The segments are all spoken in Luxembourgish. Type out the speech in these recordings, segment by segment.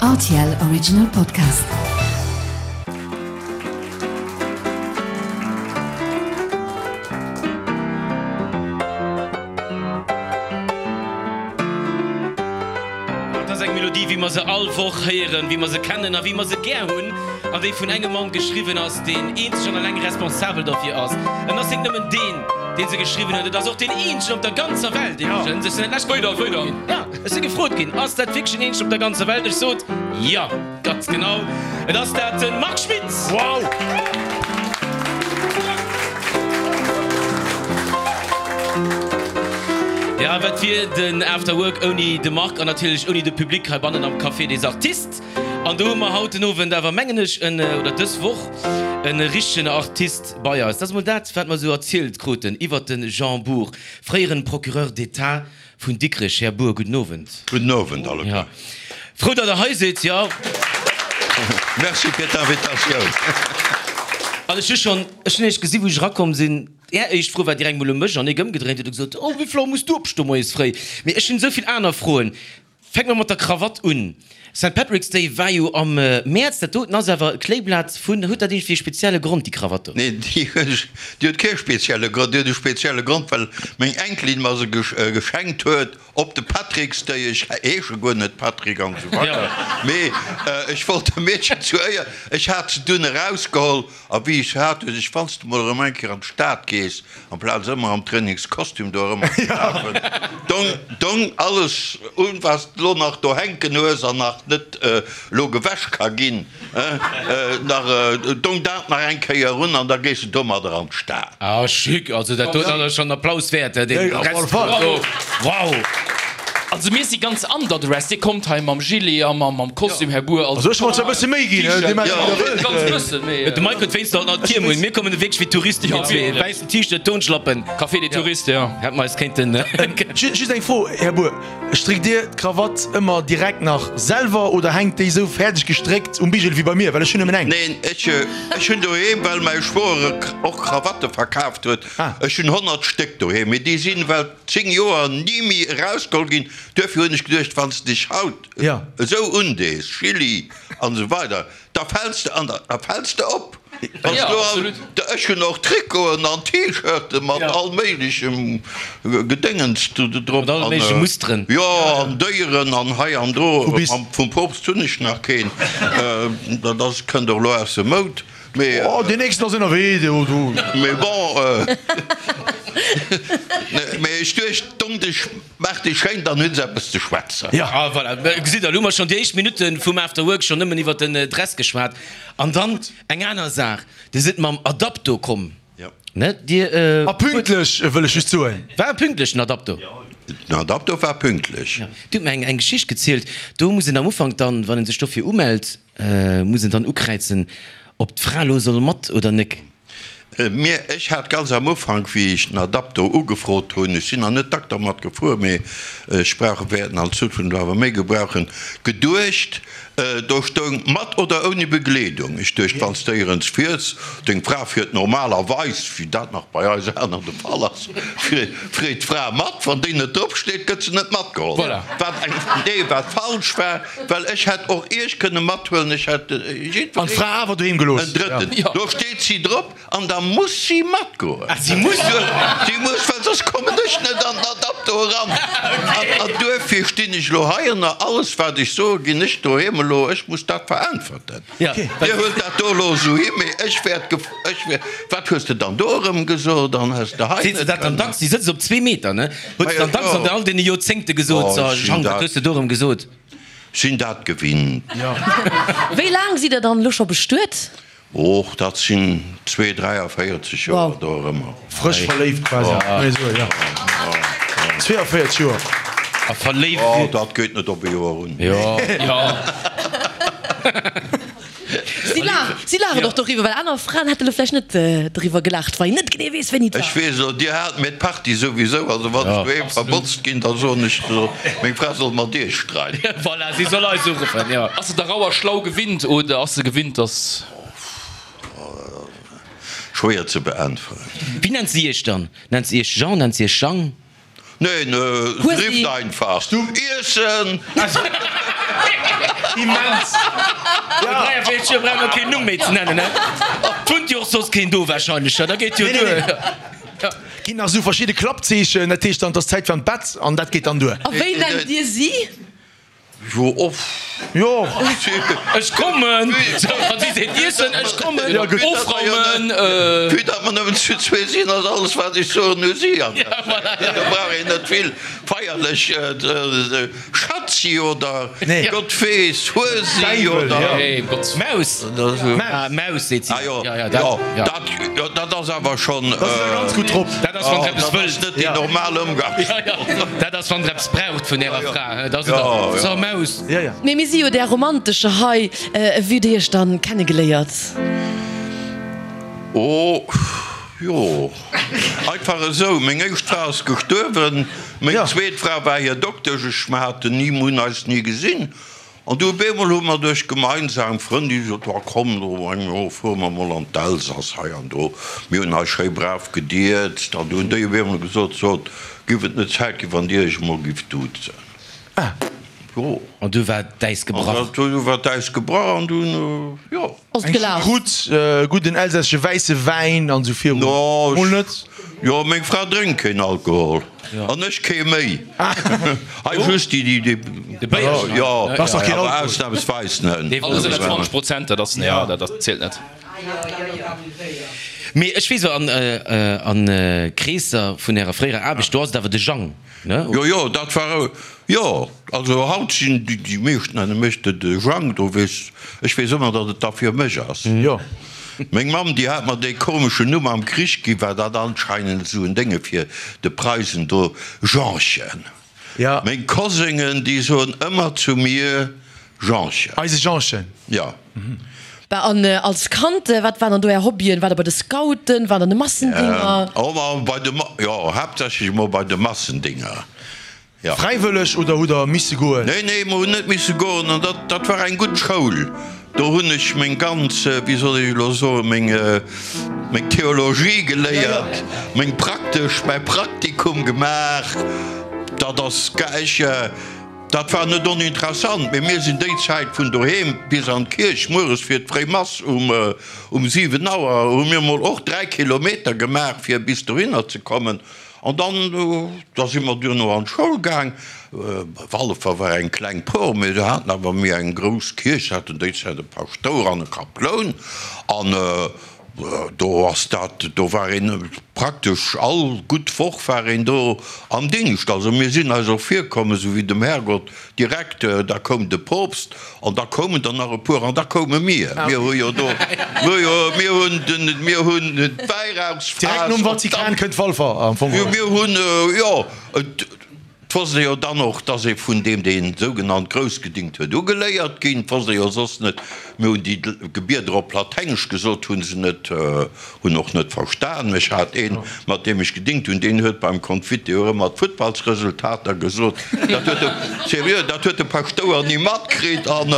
Rtl Original Podcast. Et ass eng Melodie, wéi mer se all Woch héieren, wéi mer se kennen a wéi mer se gär hunn, an déi vun engem Mann geschriwwen ass, deen eenzeg an eleng responsabel derfir ass. En ass net nëmmen deen, dee se geschriwwen huet, et ass och deen eenzegen op der ganzer Welt iwwregens. Ech sinn dat lescht Woch gefrot ginn. Jo, ech si gefrot ginn, Ass dat wierklech den eenzegen op der ganzer Welt? Ech sot, Jo, ganz genau, et ass dat, de Marc Schmitz! Wow! Ja, wat wier den After Work ouni de Marc an natierlech ouni de Public heibannen am Café des Artistes? An do hu mer haut den Owend awer, mengen ech, en, oder dës Woch, e richtegen Artist bei eis. Dat ass mol dat, wat mer esou erzielt kruten iwwert de Jean Bour, fréieren Procureur d'État vun Dikrech. Här Bour, gudden Owend. Gudden Owend alleguer. Ja. Frou, datt Der hei sidd, jo. Merci fir d'Invitatioun. An ech hu schonn, ech hunn Iech gesi wou ech erakomm sinn, Är éischt Fro war direkt mol u mech an ech ëmgedréint huet a gesot, oh, wéi vill Auer muss du opstoe moies fréi? Mee ech hunn esou vill aner Froen. Fänke mer mat der Krawatt un. Saint Patrick's Day war jo am Mäerz. Dat doten ass awer e Kléiblat vun. Huet dat iergendwéi e spezielle Grond, déi Krawatt do? Nee, déi huet kee spezielle Grond. Déi huet e spezielle Grond, well meng Enkelin mer se geschenkt huet op de Patrick's Day. Ech heesche guer net Patrick an esou weider, mee ech wollt dem Meedchen zu Éier, ech hat se dunn erausgeholl A wéi ech se hat, huet ech, wann s de mol erëm eng Kéier an d'Stad gees, amplaz ëmmer am Trainingskostüm do erëm ze lafen, dong, dong alles un, wat s de lo nach do hänken hues an nach net elo gewäsch ka ginn, nach, dong dat nach eng Kéier un an da gees de domadder an d'Stad. Ah, chic! Also dat doten ass schonn Applaus wäert, deen Rest do, wow! Also mir si ganz underdressed, Dir kommt hei mam Gilet a mam Kostüm, Här Bour. Also ech wollt zwar e bësse méi ginn, Dir maacht wéi der wëllt. Ganz bëssen, mee. De Mike huet wéinst haut nach d'Tierm un. Mir kommen wierklech wéi Touristen, mir zwee. Wäissen T-Shirt, Turnschlappen. Café des Touristes, jo. Hätte mer eis kéinten. Just eng Fro, Här Bour, Stréckt Dir d'Krawatt ëmmer direkt nach selwer oder hänkt déi esou fäerdeg gestréckt um Bigel wéi bei mir? Well ech hunn nëmmen eng. Neen, ech hunn doheem, well mäi Schwoer och Krawatte verkaaft huet, ech hunn 100 Stéck doheem, mee déi sinn well. 10 Joer ni méi erausgeholl ginn. Duerfir hunn ech geduecht, wann s de dech haut esou undees, Chili an esou weider, da fäls de an da fäls de op. Wann s du all, ech hunn och Trikoten an T-Shirte mat all méiglechem Gedéngens do drop. Mat alle méigleche Musteren. Jo, an Déieren an hei an do. Vum Poopst hunn ech nach keen, dat ass, kënnt och elo aus dem Moud. Mee, oh, deen nächsten ass ënnerwee, do, do. Mee bon, mee ech duecht, dong dech, maach dech schéin, dann hunn se eppes ze schwätzen. Ja. Ah, voilà, gesitt der, elo hu mer schonn déi éischt Minutte vum After Work schonn nëmmen iwwert den Dress geschwat. An dann eng aner Saach, Dir sidd mam Adapto komm, ne? Dir. A pünktlech, wëll ech just soen. War e pünktlech, den Adapto? Den Adapto war pünktlech. Ja. Dir hutt mer eng Geschicht gezielt, do muss een am Ufank dann, wann ee sech dofir umellt, Muss en dann ukräizen ob d'Fra lo soll mat oder nek? Mir, ech hat ganz am Ufank, wéi ech den Adapto ugefrot hunn, ech sinn nach net dack dermat gefuer, mee ech brauch, wäerten an Zukunft awer méi gebrauchen, geduecht, do stoung mat oder ouni Begleedung. Ech duecht, wann s de éierens fiers, deng Fra fiert normalerweis, wéi dat nach bei eis aner de Fall ass, freet d'Fra mat, wann déi net drop steet, gëtt se net matgeholl. Wat eng, nee, wat falsch war. Well ech hätt och Iech kënne mathuelen, ech hätt jiddwereen. An d'Fra awer doheem gelooss. En Drëtten. Do steet si drop an da muss si matgoen. Ah, si muss? Si muss, well soss kommen ech net an den Adapto eran. An duerfir stinn ech elo hei an alles, wat ech soe, ginn ech doheem elo, ech muss dat veräntwerten. Dir huelt dat do elo esou hi, mee ech wäert, ech wäert, wat hues de dann do erëm gesot an hues de hei net. Seet se dat dann dacks? Si sëtzt op zwee Meter, ne? Huet se dann dacks an all deene Joerzéngte gesot, So, Jang, wat hues de do erëm gesot? Sinn dat gewinnt. Wéi laang sidd Der dann elo scho bestuet? Och dat sinn zwee, 43 Joer do erëmmer. Frësch verléift quasi, kann ee soen, jo. 42 Joer. A verléift. Oh, dat geet net op e Joer un. Jo. Si laachen, si laachen och doriwwer, well aner Fraen hätte lo vläicht net doriwwer gelaacht, wa een net genee weess, wéini et war. Ech weess elo, Dir haalt mir d'Party souwisou, also wann ech doheem verbotzt ginn, da soen ech, meng Fra soll mat Iech streiden. Voilà, si soll eis uruffen, jo. Ass se der rauer schlau gewinnt oder ass se gewinnt, dass. Schwéier ze beäntweren. Wéi nennt si Iech dann? Nennt se Iech Jean, nennt se Iech Jang? Neen, se rifft einfach, Iessen! Immens! No 43 Joer brauch mer keen Numm méi ze nennen, he? Et wunnt jo och soss keen do wahrscheinlech, da geet jo duer. Ginn nach esou verschidde Klappzeechen, dat heescht dann, et ass Zäit fir an d'Bett an dat geet dann duer. A wéi nennt Dir si? Jo, off. Jo. Ech kommen! Sou, wann si seet iessen, ech kommen, ofraumen. Vue datt mer nëmmen zu zwee sinn, ass alles wat ech soen u si. An do brauch een net vill feierlech Schatzi oder Gott weess, Huesi oder. Maus! Maus seet si. Ah jo, jo, dat ass awer schonn. Da si se ganz gutt drop. Dat ass wann se eppes Dat wëllt. ass net déi normal Ëmgangssprooch. Dat ass wann se eppes braucht vun ärer Fra. Dat ass et dann. So Maus. Mee mir si jo där Romantescher hei. Wéi hutt Dir iech dann kennegeléiert? Oh jo, einfach esou. Meng éischt Fra ass gestuerwen, meng zweet Fra war hir Doktesch. Ech, mer haten ni, mer hunn eis ni gesinn. An du op eemol hu mer duerch gemeinsam Frënn, déi gesot hu, komm do eng fuere mer mol an d'Elsass hei an do. Mir hunn eis schéi brav gedierzt. An du hunn déi op eemol gesot, sot, giff et net Zäit ginn, wann Dir Iech emol gifft duzen? Jo. An du war d'Äis gebrach. An du war d'Äis gebrach an dunn, jo. Ass et Eng gelaf? Choucroute, e gudden elsässesche wäisse Wäin an esou virun. No, Mol net? Jo, meng Fra drénkt keen Alkohol. An ech kee méi. Hei just déi, déi, déi. De Béierchen. Jo, Dat ass dach keen awer Alkohol. ausnamsweis net. Alles ënner 20 Prozent, dat ass, jo, dat ass, zielt net. Mee ech weess an, an Kreesser vun ärer fréierer Aarbecht, do ass et awer de Jang, ne? Jo, jo, dat war, jo, also haut sinn déi, déi meescht nenne mech de, de Jang, do weess, ech weess ëmmer, datt et da fir mech ass. Jo. Meng Mamm, déi hat mer dee komeschen Numm am Krich ginn, war dat anscheinend esou en Dénge fir de Preisen do, Jeanchen. Ja. Meng Kosengen, déi soen ëmmer zu mir Jeanchen. Eise Jeanchen. Ja. Bah, an als Kand, wat waren dann do Är Hobbyen? Waart Der bei de Scouten? Waart Der an de Massendinger? Oh, ma bei de, jo, haaptsächlech emol bei de Massendinger. Ja. Fräiwëlleg oder hutt der misse goen? Nee, nee, mer hunn net misse goen an dat, dat war eng gutt Schoul. Do hunn ech meng ganz, wéi soll ech elo soen, meng, meng Theologie geléiert, meng praktesch, mäi Praktikum gemaach. Dat ass, ech, dat war net oninteressant, mee mir sinn déi Zäit vun doheem bis an d'Kierch mueres fir d'fréi Mass um, um 7 Auer hu mir mol och 3 Kilometer gemaach fir bis dohinner ze kommen. An dann, da si mer duerno an d'Schoul gaang. Wallefer war eng kleng Por, mee se haten awer méi eng grouss Kierch, se haten déi Zäit e Paschtouer an e Kaploun. An do ass dat, do war een praktesch all gutt Woch war een do am Dingscht. Also mir sinn eis och virkomm, esou wéi dem Herrgott direkt, da koum de Poopst an da koumen der nach e puer an da koume mir. Mir hu jo do, mir jo, mir hunn den, mir hunn d'Wäirauchsfaass. Direkt nom Vatikan kënnt Walfer am Fong. Jo, mir hunn, jo, et wosst ee jo dann och, dass ee vun deem, dee sougenannt grouss gedingt huet, ugeléiert ginn. Et wosst ee jo soss net. Mir hunn déi Gebieder op Laténgesch gesot, hu se net. Hunn och net verstan. Ech hat een, mat deem ech gedingt hunn, deen huet beim Confiteor ëmmer d'Futtballsresultater gesot. Dat huet de, seriö, dat huet de Paschtouer ni matkritt an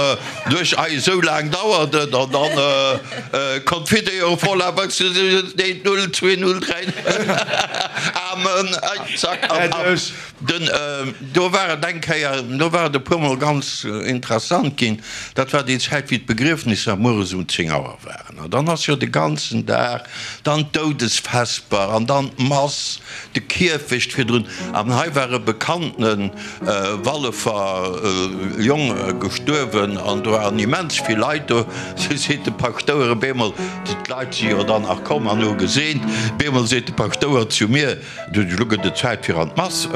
duerch, ei, esou laang dauert et an dann Confiteor voila, eent, null, zwee, null, dräi, Amen, ei, zack an ab. Den, do war et eng Kéier, do war et e puermol ganz interessant ginn, dat war déi Zäit, wéi d'Begriefnisser mueres um 10 Auer waren. An dann ass jo de ganzen Dag dann d'Doudesvesper an dann d'Mass, de Kierfecht virdrun. An hei war e bekanntene Wallefer Jong gestuerwen an do waren immens vill Leit do. Du seet de Paschtouer op eemol, d'Leit si jo dann nach komm an hu geseent, op eemol seet de Paschtouer zu mir, Du, elo gëtt et Zäit fir an d'Mass,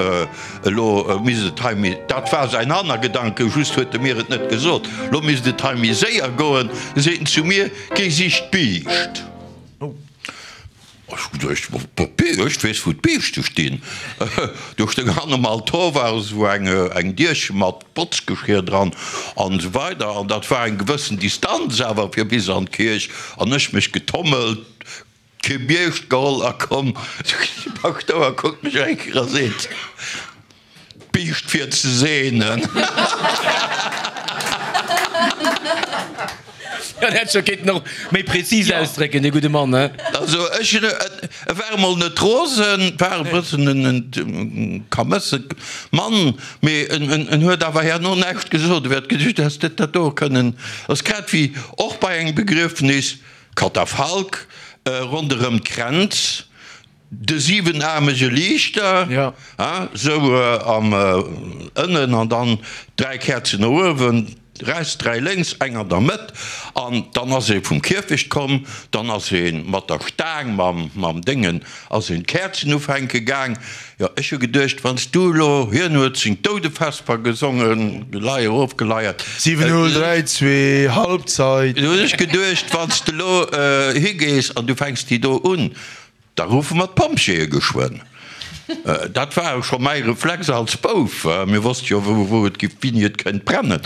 elo misst et hei méi, dat war säin Hannergedanke, just huet e mir et net gesot, elo misst et hei méi séier goen, seet en zu mir, géi sich d'Biischt. Ech hu geduecht, Ech weess, wou d'Biischte stinn. Do stoung hannem Altor war esou eng Dierche mat Botzgeschir dran an esou weider an dat war eng gewëssen Distanz awer fir bis an d'Kierch an ech mech getommelt, Kee Biischt geholl a komm. De Paschtouer kuckt mech eng Kéier a seet, D'Biischt fir ze seenen. Dat hätt scho kéinten och méi prezis ausdrécken, dee gudde Mann, he? Also ech hunn et. E war emol net rosen, war e bëssen en kamësse Mann, mee en huet awer herno näischt gesot. E wäert geduecht, häss de dat do kënnen. Ass grad wéi och bei engem Begriefnis, Katafalk ronderëm d'Kränz, De siwenaarmege Liichter, sou am ënnen an dann 3 Käerzen no uewen, rechts 3 lénks, eng an der Mëtt. An dann ass ee vum Kierfecht komm, dann ass ee mat der Staang, mam Déngen ass een d'Käerzen ufänke gaang. Jo, ech hu geduecht, wann s du elo, hien huet seng Doudevesper gesongen, Geleier ofgeleiert. 7, 0, 3, 2, Halbzeit. Du hunn ech geduecht, wann s de elo higees an du fänks déi do un, Da ruffe mer d'Pompjeeë geschwënn. Dat war scho mäi Reflex als Bouf. Mir wosste jo, wou et giff, wéini et kënnt brennen.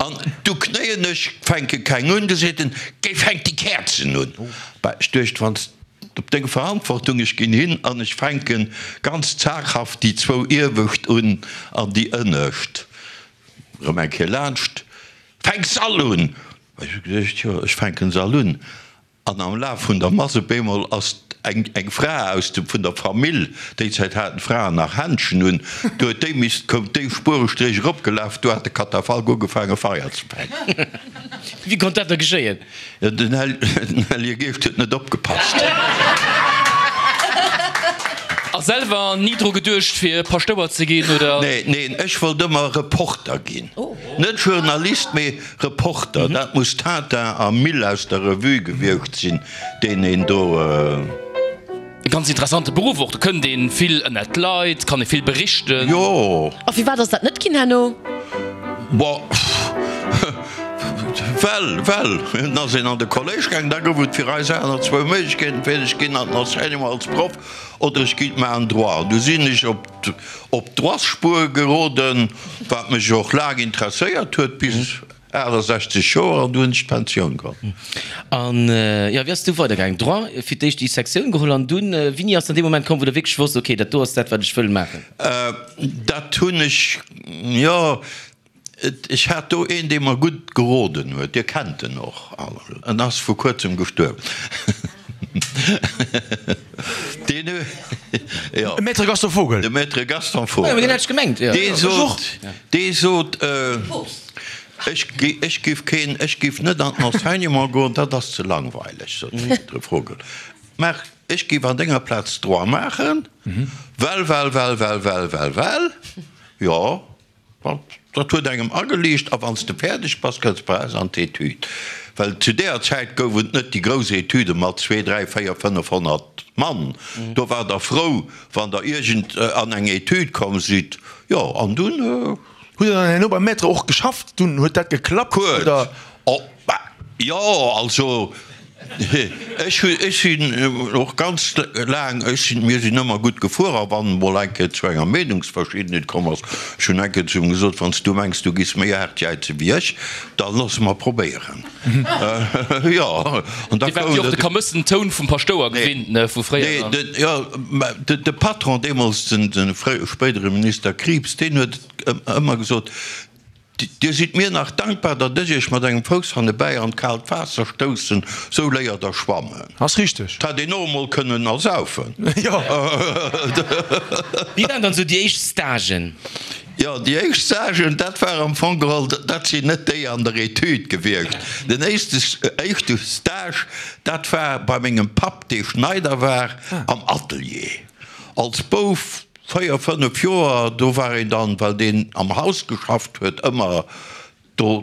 An du knéien ech, fänke keng un. Du seet en, Géi fänk déi Käerzen un. Bah, ech duecht, wann s op deng Verantwortung, ech ginn hin an ech fänke ganz zaghaft déi zwou iewescht un an déi ënnescht erëm eng Kéier laanscht. Fänk s'all un! Ech hu geduecht, jo, ech fänken s'all un. An am Laf vun der Mass op eemol ass eng eng Fra aus dem vun der Famill, déi Zäit haten d'Fraen nach Händschen un, du huet déi misst, koum déi Spuerestréch eropgelaf, du hat de Katafalk ugefaange Feier ze fänken. Wéi konnt dat da geschéien? Jo, den Hellege Geescht huet net opgepasst. A selwer ni dru geduecht fir Paschtouer ze ginn, oder? Nee, neen, ech wollt ëmmer Reporter ginn. Net Journalist, mee Reporter, dat muss Tintin a Mille aus der Revue gewiescht sinn, deen een do. E ganz interessante Beruff och, do kënnt een vill ënnert d'Leit, kann ee vill berichten. Jo. A firwat ass dat net ginn herno? Bon, well, well, dunn ass een an de Kolléisch gaangen, da gouf et fir eis aner zwou Méiglechkeeten, entweder ech ginn an den Enseignement als Proff oder ech ginn maachen Droit. An du sinn ech op. Op d'Droitsspuer geroden, wat mech och laang interesséiert huet, bis 68 Joer, an du hunn ech d'Pensioun geholl. An jo, wéi ass et du weidergaangen? Droit, fir d'éischt déi Sektioun geholl an dunn, wéini ass dann dee Moment komm, wou der wierklech wosst, ok, dat do ass dat, wat ech wëll maachen? Dat hunn ech, jo, Ech hat do een, dee mer gutt geroden huet. Dir kennt en och all, en ass vu kuerzem gestuerwen. Deen huet, jo. De Maître Gaston Vogel. De Maître Gaston Vogel. Jo, deen hat ech gemengt, jo. Dee sot, dee sot, ech, ech giff keen, ech giff net an den Enseignement goen, dat ass ze langweileg, sot de Maître Vogel. Maach, ech giff an denger Plaz Droit maachen, well, well, well, well, well, well, well, jo. Dat huet engem ageliicht, a wann s de fäerdeg bass, kënns bei eis an d'Etüd. Well zu deeër Zäit gouf et net déi grouss Etüde mat zwee, dräi, véier, 500 Mann. Do waart der frou, wann der iergend an eng Etüd komm sidd. Jo, an dunn. Hutt der dann herno beim Maître och geschafft? Dunn huet dat geklappt, oder? Kuerz, Oh, bah, jo, also ech hu, ech sinn och ganz laang, ech sinn, mir sinn ëmmer gutt gefuer a wann emol eng Kéier zu enger Meenungsverschiddenheet komm ass, ech hunn eng Kéier zu him gesot, wann s du mengs, du giss méi haart jäize wéi ech, da loosse mer probéieren. Jo, an da Dir waart jo och de kamëssen Toun vum Paschtouer gewinnt, ne, vu fréier. Nee, den, jo, mä de, de Patron deemools, den, de fréiere Minister Krieps, deen huet ëmmer gesot, Dir sidd mir nach dankbar, datt ech iech mat engem Fouss hannebäi an d'kaalt Waasser stoussen, sou léiert der schwammen. Ass richteg. D'hätt een och emol kënnen ersaufen. Jo. Wéi waren dann sou déi éischt Stagen? Jo, déi éischt Stagen, dat war am Fong geholl, dat sinn net déi an der Etüd gewiescht. Den éischte éischte Stage, dat war bei mengem Papp, dee Schneider war, am Atelier. Als Bouf 4, 5 Joer, do war een dann, well deen am Haus geschafft huet, ëmmer do,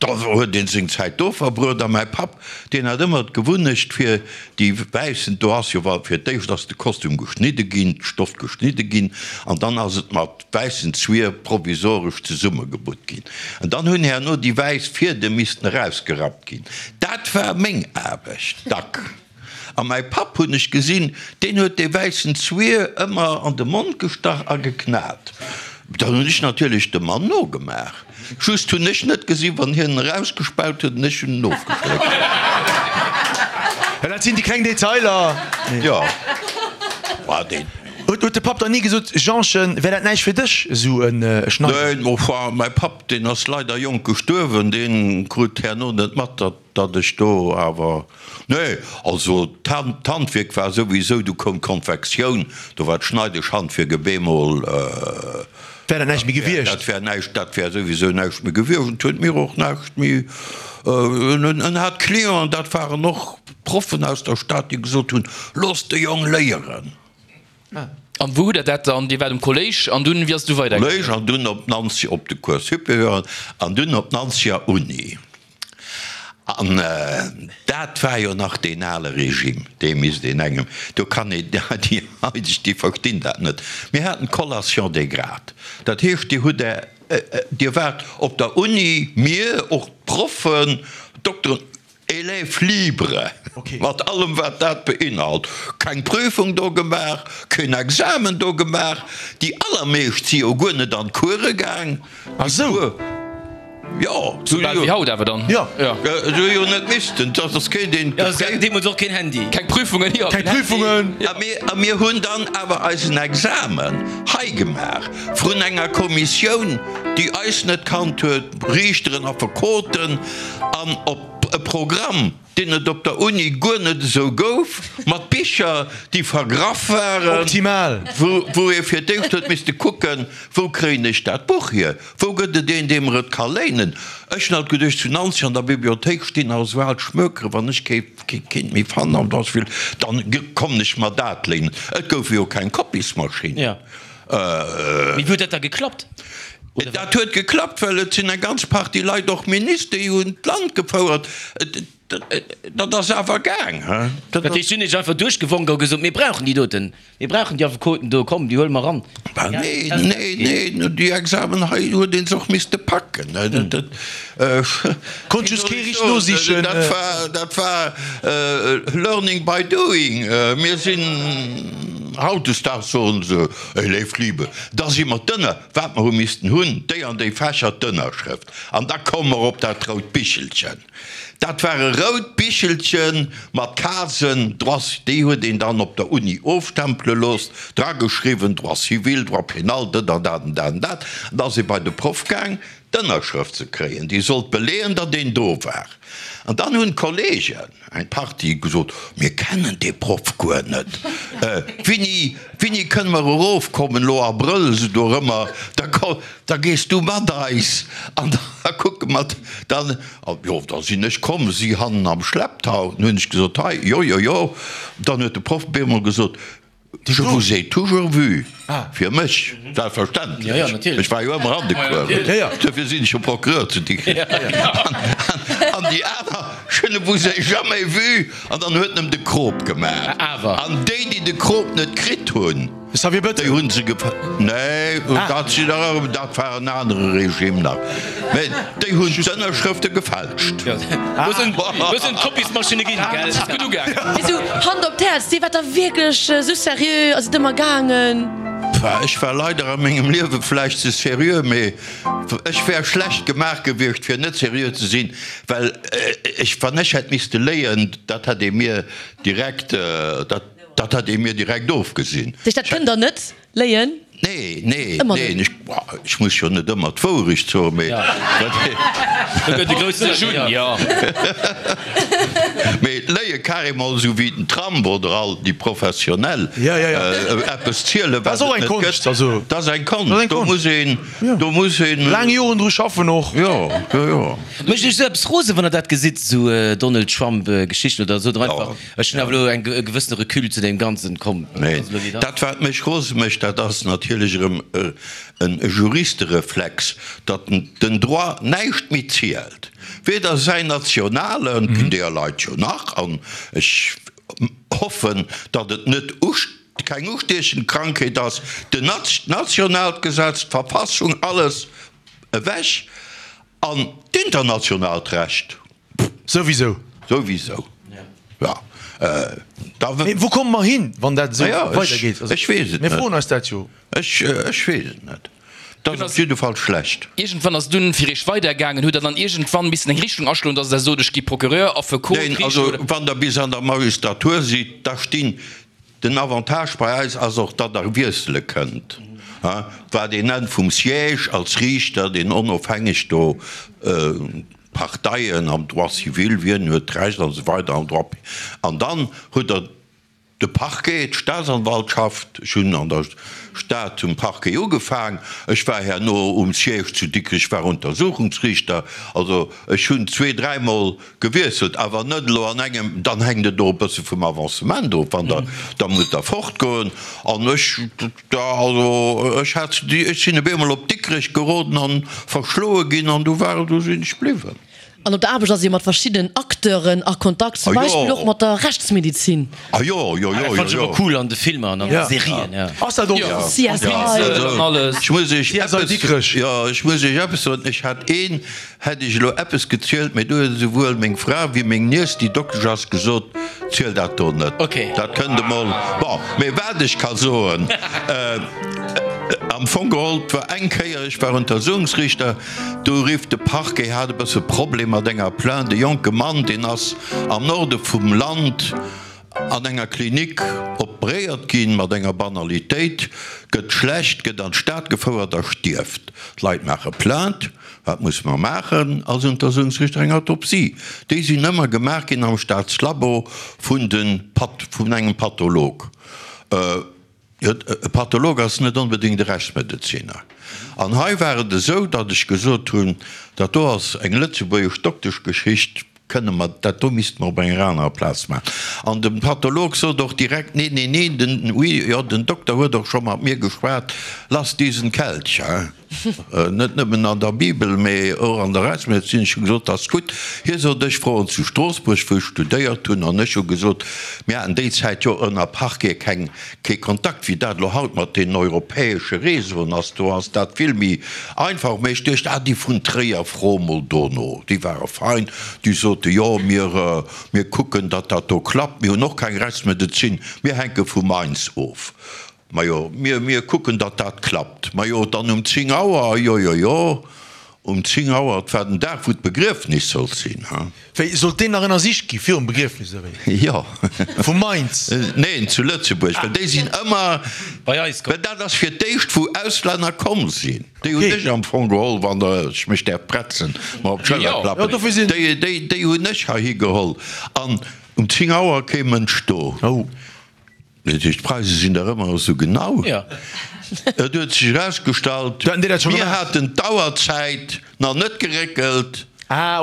da huet een seng Zäit do verbruet. A mäi Papp, deen hat ëmmer d'Gewunnecht fir déi wäissen, do ass jo, fir d'éischt ass de Kostüm geschnidde ginn, d'Stoff geschnidde ginn, an dann ass et mat wäissen Zwier provisoresch zesummegebutt ginn. An dann hunn herno déi wäiss Fiedem missten erausgerappt ginn. Dat war meng Aarbecht, dack. A mäi Papp, hunn ech gesinn, deen huet dee wäissen Zwier ëmmer an de Mond gestach a geknat. Dann hunn ech natierlech dem Mann nogemaach. Just hunn ech net gesinn, wann hien en erausgespaut huet an ech hunn en ofgeschléckt. Ja, dat sinn déi kleng Detailer. Jo, war deen. Huet de Papp dann ni gesot, Jeanchen, wär dat näischt fir dech, esou e Schneider? Neen, enfin, mäi Papp, deen ass leider jonk gestuerwen, dee krut herno net mat, datt. Datt ech do awer, nee, also d'Handwierk war souwisou, du koum d'Konfektioun, do war d'Schneideschhandwierk op eemol. Wär dat näischt méi gewiescht? Dat wär näischt, dat wär souwisou näischt méi gewiescht. Et huet mir och näischt méi, en hat Clienten, dat waren och Proffen aus der Stad, déi gesot hunn, Looss de Jong léieren. An wou hutt Der dat dann? Dir waart um Kolléisch an dunn, wéi ass et du weidergaangen? Kolléisch an dunn op Nanzeg, op de Cours supérieur an dunn op d'Nanzeger Uni. An dat war jo nach deen ale Regime, dee misst een engem, do kann een, déi haideg, déi verstinn dat net. Mir haten d'Collation des grades, dat heescht, Dir hutt Är, Dir waart op der Uni, mir, och d'Proffen, d'Dokteren, Élève libre, mat allem wat dat beinhalt. Keng Prüfung do gemaach, keen Examen do gemaach. Déi allermeescht si jo guer net an d'Course gaang. Ah sou. Jo. Sou bal wéi haut awer dann. Jo. Se hu jo net missten, dat ass keen deen. Jo, se haten deemools och keen Handy. Keng Prüfungen, jo. Keng Prüfungen. A mir, a mir hunn dann awer eisen Examen hei gemaach, vrun enger Kommissioun, déi eis net kannt huet, Riichteren, Affekoten, an op e Programm, deen et op der Uni guer net esou gouf, mat Bicher, déi vergraff waren, Optimal! wou ee fir d'éischt huet misste kucken, Wou kréien ech dat Buch hier? Wou gëtt et een, dee mer et ka léinen? Ech hunn alt geduecht, zu Nanzeg an der Bibliothéik stinn nach esou al Schmökere, wann ech kee keent méi fannen an dass vill, dann kommen ech mer dat léinen. Et goufe jo keng Kopiesmaschinn. Mee wéi huet dat da geklappt? Dat huet geklappt, well et sinn eng ganz Partie Leit, och Minister, déi hunn d'Land gefouert. Dat ass awer gaang. Dat heescht, si hunn iech einfach duerchgewonk a gesot, Mir brauchen déi doten, mir brauchen déi Affekoten do, komm, déi huele mer eran. Nee, nee, nee, déi Examen hei huet ee se och misste packen. Konnt just kee richteg nosichen. Dat war, dat war learning by doing. Mir sinn, hautdesdaags soen se, Élève libre, da si mer d'Ënner, wat mer hu missten hunn, déi an déi Fächer, d'Ënnerschrëft. An da komme mer op dat rout Bichelchen. Dat war e rout Bichelche mat Casen, Droits, déi huet een dann op der Uni ofstempele looss, drageschriwwen, Droit civil, Droit pénal, dat an dat an dat an dat. An da ass ee bei de Proff gaang, d'Ënnerschrëft ze kréien, déi sollt beleeën, datt een do war. An dann hunn d'Kollegen, eng Partie, gesot, Mir kennen dee Proff guer net. Wéini, wéini kënne mer erofkommen? Elo Abrëll, esou dorëmmer, da ko, da gees du mat eis an da kucke mer dann. Jo, da sinn ech komm, si hannen am Schlepptau. Dann hunn ech gesot, Hei, jo, jo, jo. Dann huet de Proff op eemol gesot, Je vous ai toujours vu, fir mech selbstverständlech, ech war jo ëmmer an de Coursen, duerfir sinn ech jo Procureur zu Dikrech, an déi aner, je ne vous ai jamais vu, an dann huet en em de Krop gemaach, an déi, déi de Krop net kritt hunn, Déi hunn se gef. Nee, dat sinn der erëm, dat war en anere Regime nach. Mä déi hunn d'Ënnerschrëfte gefälscht. Do sinn, do sinn d'Kopiesmaschinne ginn, gell? Ass gutt ugaangen. Mee sou, Hand op d'Häerz, Dir waart da wierklech sou seriö a sidd ëmmer gaangen? Pah, ech war leider a mengem Liewe vläicht ze seriö, mee ech wär schlecht gemaach gewiescht fir net seriö ze sinn, well ech, wann ech hätt misste léien, dat hätt ee mir direkt, dat. Dat hätt ee mir direkt ofgesinn. Sech, dat kënnt der net léien? Nee, nee, Ëmmer nee, net. ech, ech muss jo net ëmmer d'Wourecht soen, mee dat. Do gëtt e grousse Jun, jo. Mee léie carrément esou wéi den Trump oder all déi Professionell eppes zielen, Dat wat ass och et eng net Konscht, gëtt, also. dat ass eng Dat ass eng Konscht. Do Konscht. muss een, do muss een. Laang Joren dru schaffen och. Jo, jo, jo. Mécht Iech esou eppes rose wann Der dat gesitt, esou Donald Trump Geschichten oder sot Der einfach, Ech hunn awer elo e gewëssene Recul zu deem Ganzen. Komm, Nee, dat wat mech rose mécht, dat ass natierlech erëm e Juristereflex, datt den Droit näischt méi zielt, weder säin nationalen, ginn deeër Leit jo nach, an ech hoffen, datt et net keng ustiechend Krankheet ass, den nationaalt Gesetz, d'Verfassung, alles ewech, an d'internationaalt Recht. Souwisou. Souwisou, ja. Da. Mee wou komme mer hin, wann dat esou weidergeet? Ech weess et net. Mir froen eis dat jo. Ech weess et net. Dat ass op jidde Fall schlecht. Iergendwann ass dunn fir Iech weidergaangen. Hutt Der dann iergendwann missen eng Richtung aschloen, dass Der sot, ech gi Procureur, Affekot, Neen, Riichter also oder? wann Der bis an der Magistratur sidd, da stinn Den Avantage bei eis ass och, datt Der wiessele kënnt, wat een nennt vum Siège als Riichter, deen onofhängeg do. d'Parteien am Droit civil, wien huet d'Recht an esou weider am Droit an dann hutt Der de Parquet, d'Staatsanwaltschaft. Ech hunn an der Stad um Parquet ugefaang, ech war herno um Siège zu Dikrech, war Untersuchungsriichter. Also ech hunn zwee-, dräimol gewiesselt, awer net elo an engem, dann hänkt et och e bësse vum Avancement of, wann Der da musst der fortgoen. An ech, da, also ech hat, ech sinn op eemol op Dikrech geroden an verschloe ginn an du war, du sinn ech bliwwen. An op der Aarbecht ass ee jo mat verschiddenen Acteuren a Kontakt, zum Beispill och mat der Rechtsmedizin. Ah jo, jo, jo, Dat fannt ech jo, ëmmer jo. cool an de Filmer an an de Serien, ja. Ass dat och Jo. CSI. Pinsel an alles. Ech muss Iech CSI eppes, Dikrech. jo, ech muss Iech eppes soen, ech hat een, Hätt ech elo eppes gezielt, mee do huet esouwuel meng Fra wéi meng Niess, déi Doktesch ass, gesot, Ziel dat do net. Dat kënnt emol. Bon, mee wat ech ka soen, am Fong geholl, 't war eng Kéier, ech war Untersuchungsriichter, do rifft de Parquet, hat e bësse Problem mat enger Plainte, e jonke Mann, deen ass am Norde vum Land an enger Klinik operéiert ginn, mat enger Banalitéit, gëtt schlecht, gëtt an d'Stad gefouert a stierft. D'Leit maache Plainte. Wat musse mer maachen als Untersuchungsrichter? Eng Autopsie. Déi sinn ëmmer gemaach ginn am Staatslabo vun de Pat, vun engem Patholog. E Patholog ass net onbedéngt e Rechtsmedeziner. An hei war et esou, datt ech gesot hunn, dat do ass eng lëtzebuergesch Dokteschgeschicht, Kënne mer, dat do misste mer op enger anerer Plaz maachen. An de Patholog sot och direkt, Nee, nee, nee, den, oui, jo, den Dokter huet och scho mat mir geschwat, lass diesen Kelch, hein. Net nëmmen an der Bibel, mee och an der Rechtsmedezin. Ech hu gesot, Dat ass gutt. Hie sot, Ech froen zu Stroossbuerg, wou ech studéiert hunn. An ech hu gesot, mir haten déi Zäit jo ënner Parquet keng, kee Kontakt, wéi dat elo haut mat deenen europäesche Réseauen ass, do ass dat vill méi einfach. Mä ech duecht, ah, déi vun Tréier, fro mol dono, déi ware fein, déi sote jo, mir, mir kucken, datt dat do klappt, mir hunn och keng Rechtsmedezin, mir hänke vu Mainz of. Majo, mir, mir kucken, datt dat klappt. Majo, dann um 10 Auer, jo, jo, jo, um 10 Auer, et war den Dag, wou d'Begriefnis sollt sinn, ha. Wéi, sollt deen nach ënnersicht gi virum Begriefnis oder wéi? Jo. Vu Mainz? Neen, zu Lëtzebuerg, well déi sinn ëmmer, Bei eis komm. well dat ass fir d'éischt wou Auslänner komm sinn. Déi hunn ech am Fong geholl, wann der, ech mech däerf pretzen, mer op d'Schëller Jo, klappen, dofir sinn. déi, déi, déi hunn ech heihi geholl. An um 10 Auer kee Mënsch do. Oh. D'Preise sinn dach ëmmer esou genau. Jo. Et huet sech erausgestallt, mir haten d'Auerzäit nach net geréckelt a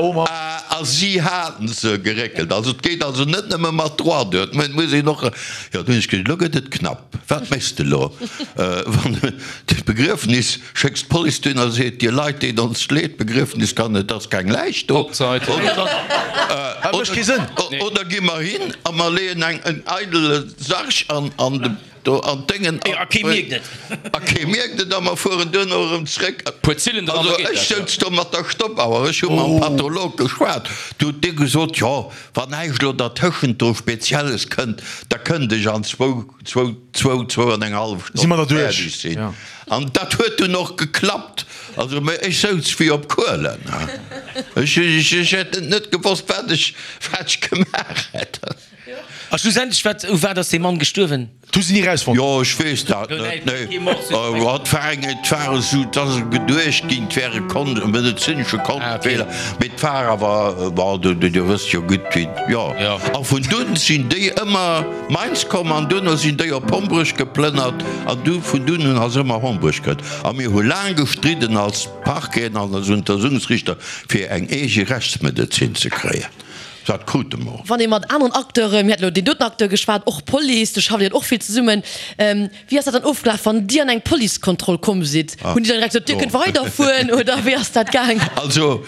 si hate se geréckelt. Also et geet also net nëmme mat Droit duer, et muss een och. Jo, dunn hunn ech gesot, elo gëtt et knapp, wat méchs de elo? Wann d'Begriefnis, schécks d'Police dohin a seet, Dir Leit, deet ons leed, d'Begriefnis kann net, et ass keng Läich do. Dat mécht kee Sënn. Oder gi mer hin a mer leeën eng en eidele Sarg an an de do an d'Déngen A kee mierkt et. A kee mierkt et a mer fueren duerno erëm zréck. Puer Zillen dran, Also da geet ech dat, jo. souz do mat der Stoppauer, ech hu mam Patholog geschwat, du huet dee gesot, jo wann näischt elo dertëschent do Spezielles kënnt, da kënnt ech an zwou, zwou, zwou, zwou an eng hallef Si mer Stonn der duerch, fäerdeg sinn. jo. An dat huet dunn och geklappt. Also, mä ech souz wéi op Kuelen. Ech, ech, ech hätt et net gewosst, wat ech, wat ech gemaach hätt. A schlussendlech, wat, u wat ass dee Mann gestuerwen? Dat hu se ni erausfonnt. Jo, ech weess dat net, nee. Et war eng, et war esou, et ass geduecht ginn, et wär e Kon, e medezinesche Kontenfeeler, mee et war awer, bon, du, du, Dir wësst jo gutt, wéi, jo. A vun dunn sinn déi ëmmer Mainz komm an duerno sinn déi op Hombrech geplënnert an du, vun dunn un ass ëmmer Hombrech gëtt. A mir hu laang gestridden als Parqueten an als Untersuchungsrichter, fir eng eege Rechtsmedezin ze kréien. Dat krute mer och. Wann ee mat aneren Acteuren, mir haten elo deen doten Acteur geschwat, och Police, do schafft Dir och vill zesummen, wéi ass dat dann ofgelaf, wann Dir an eng Policekontroll komm sidd? Hunn déi dann direkt gesot, Dir kënnt weiderfueren oder wéi ass dat gaang? Also,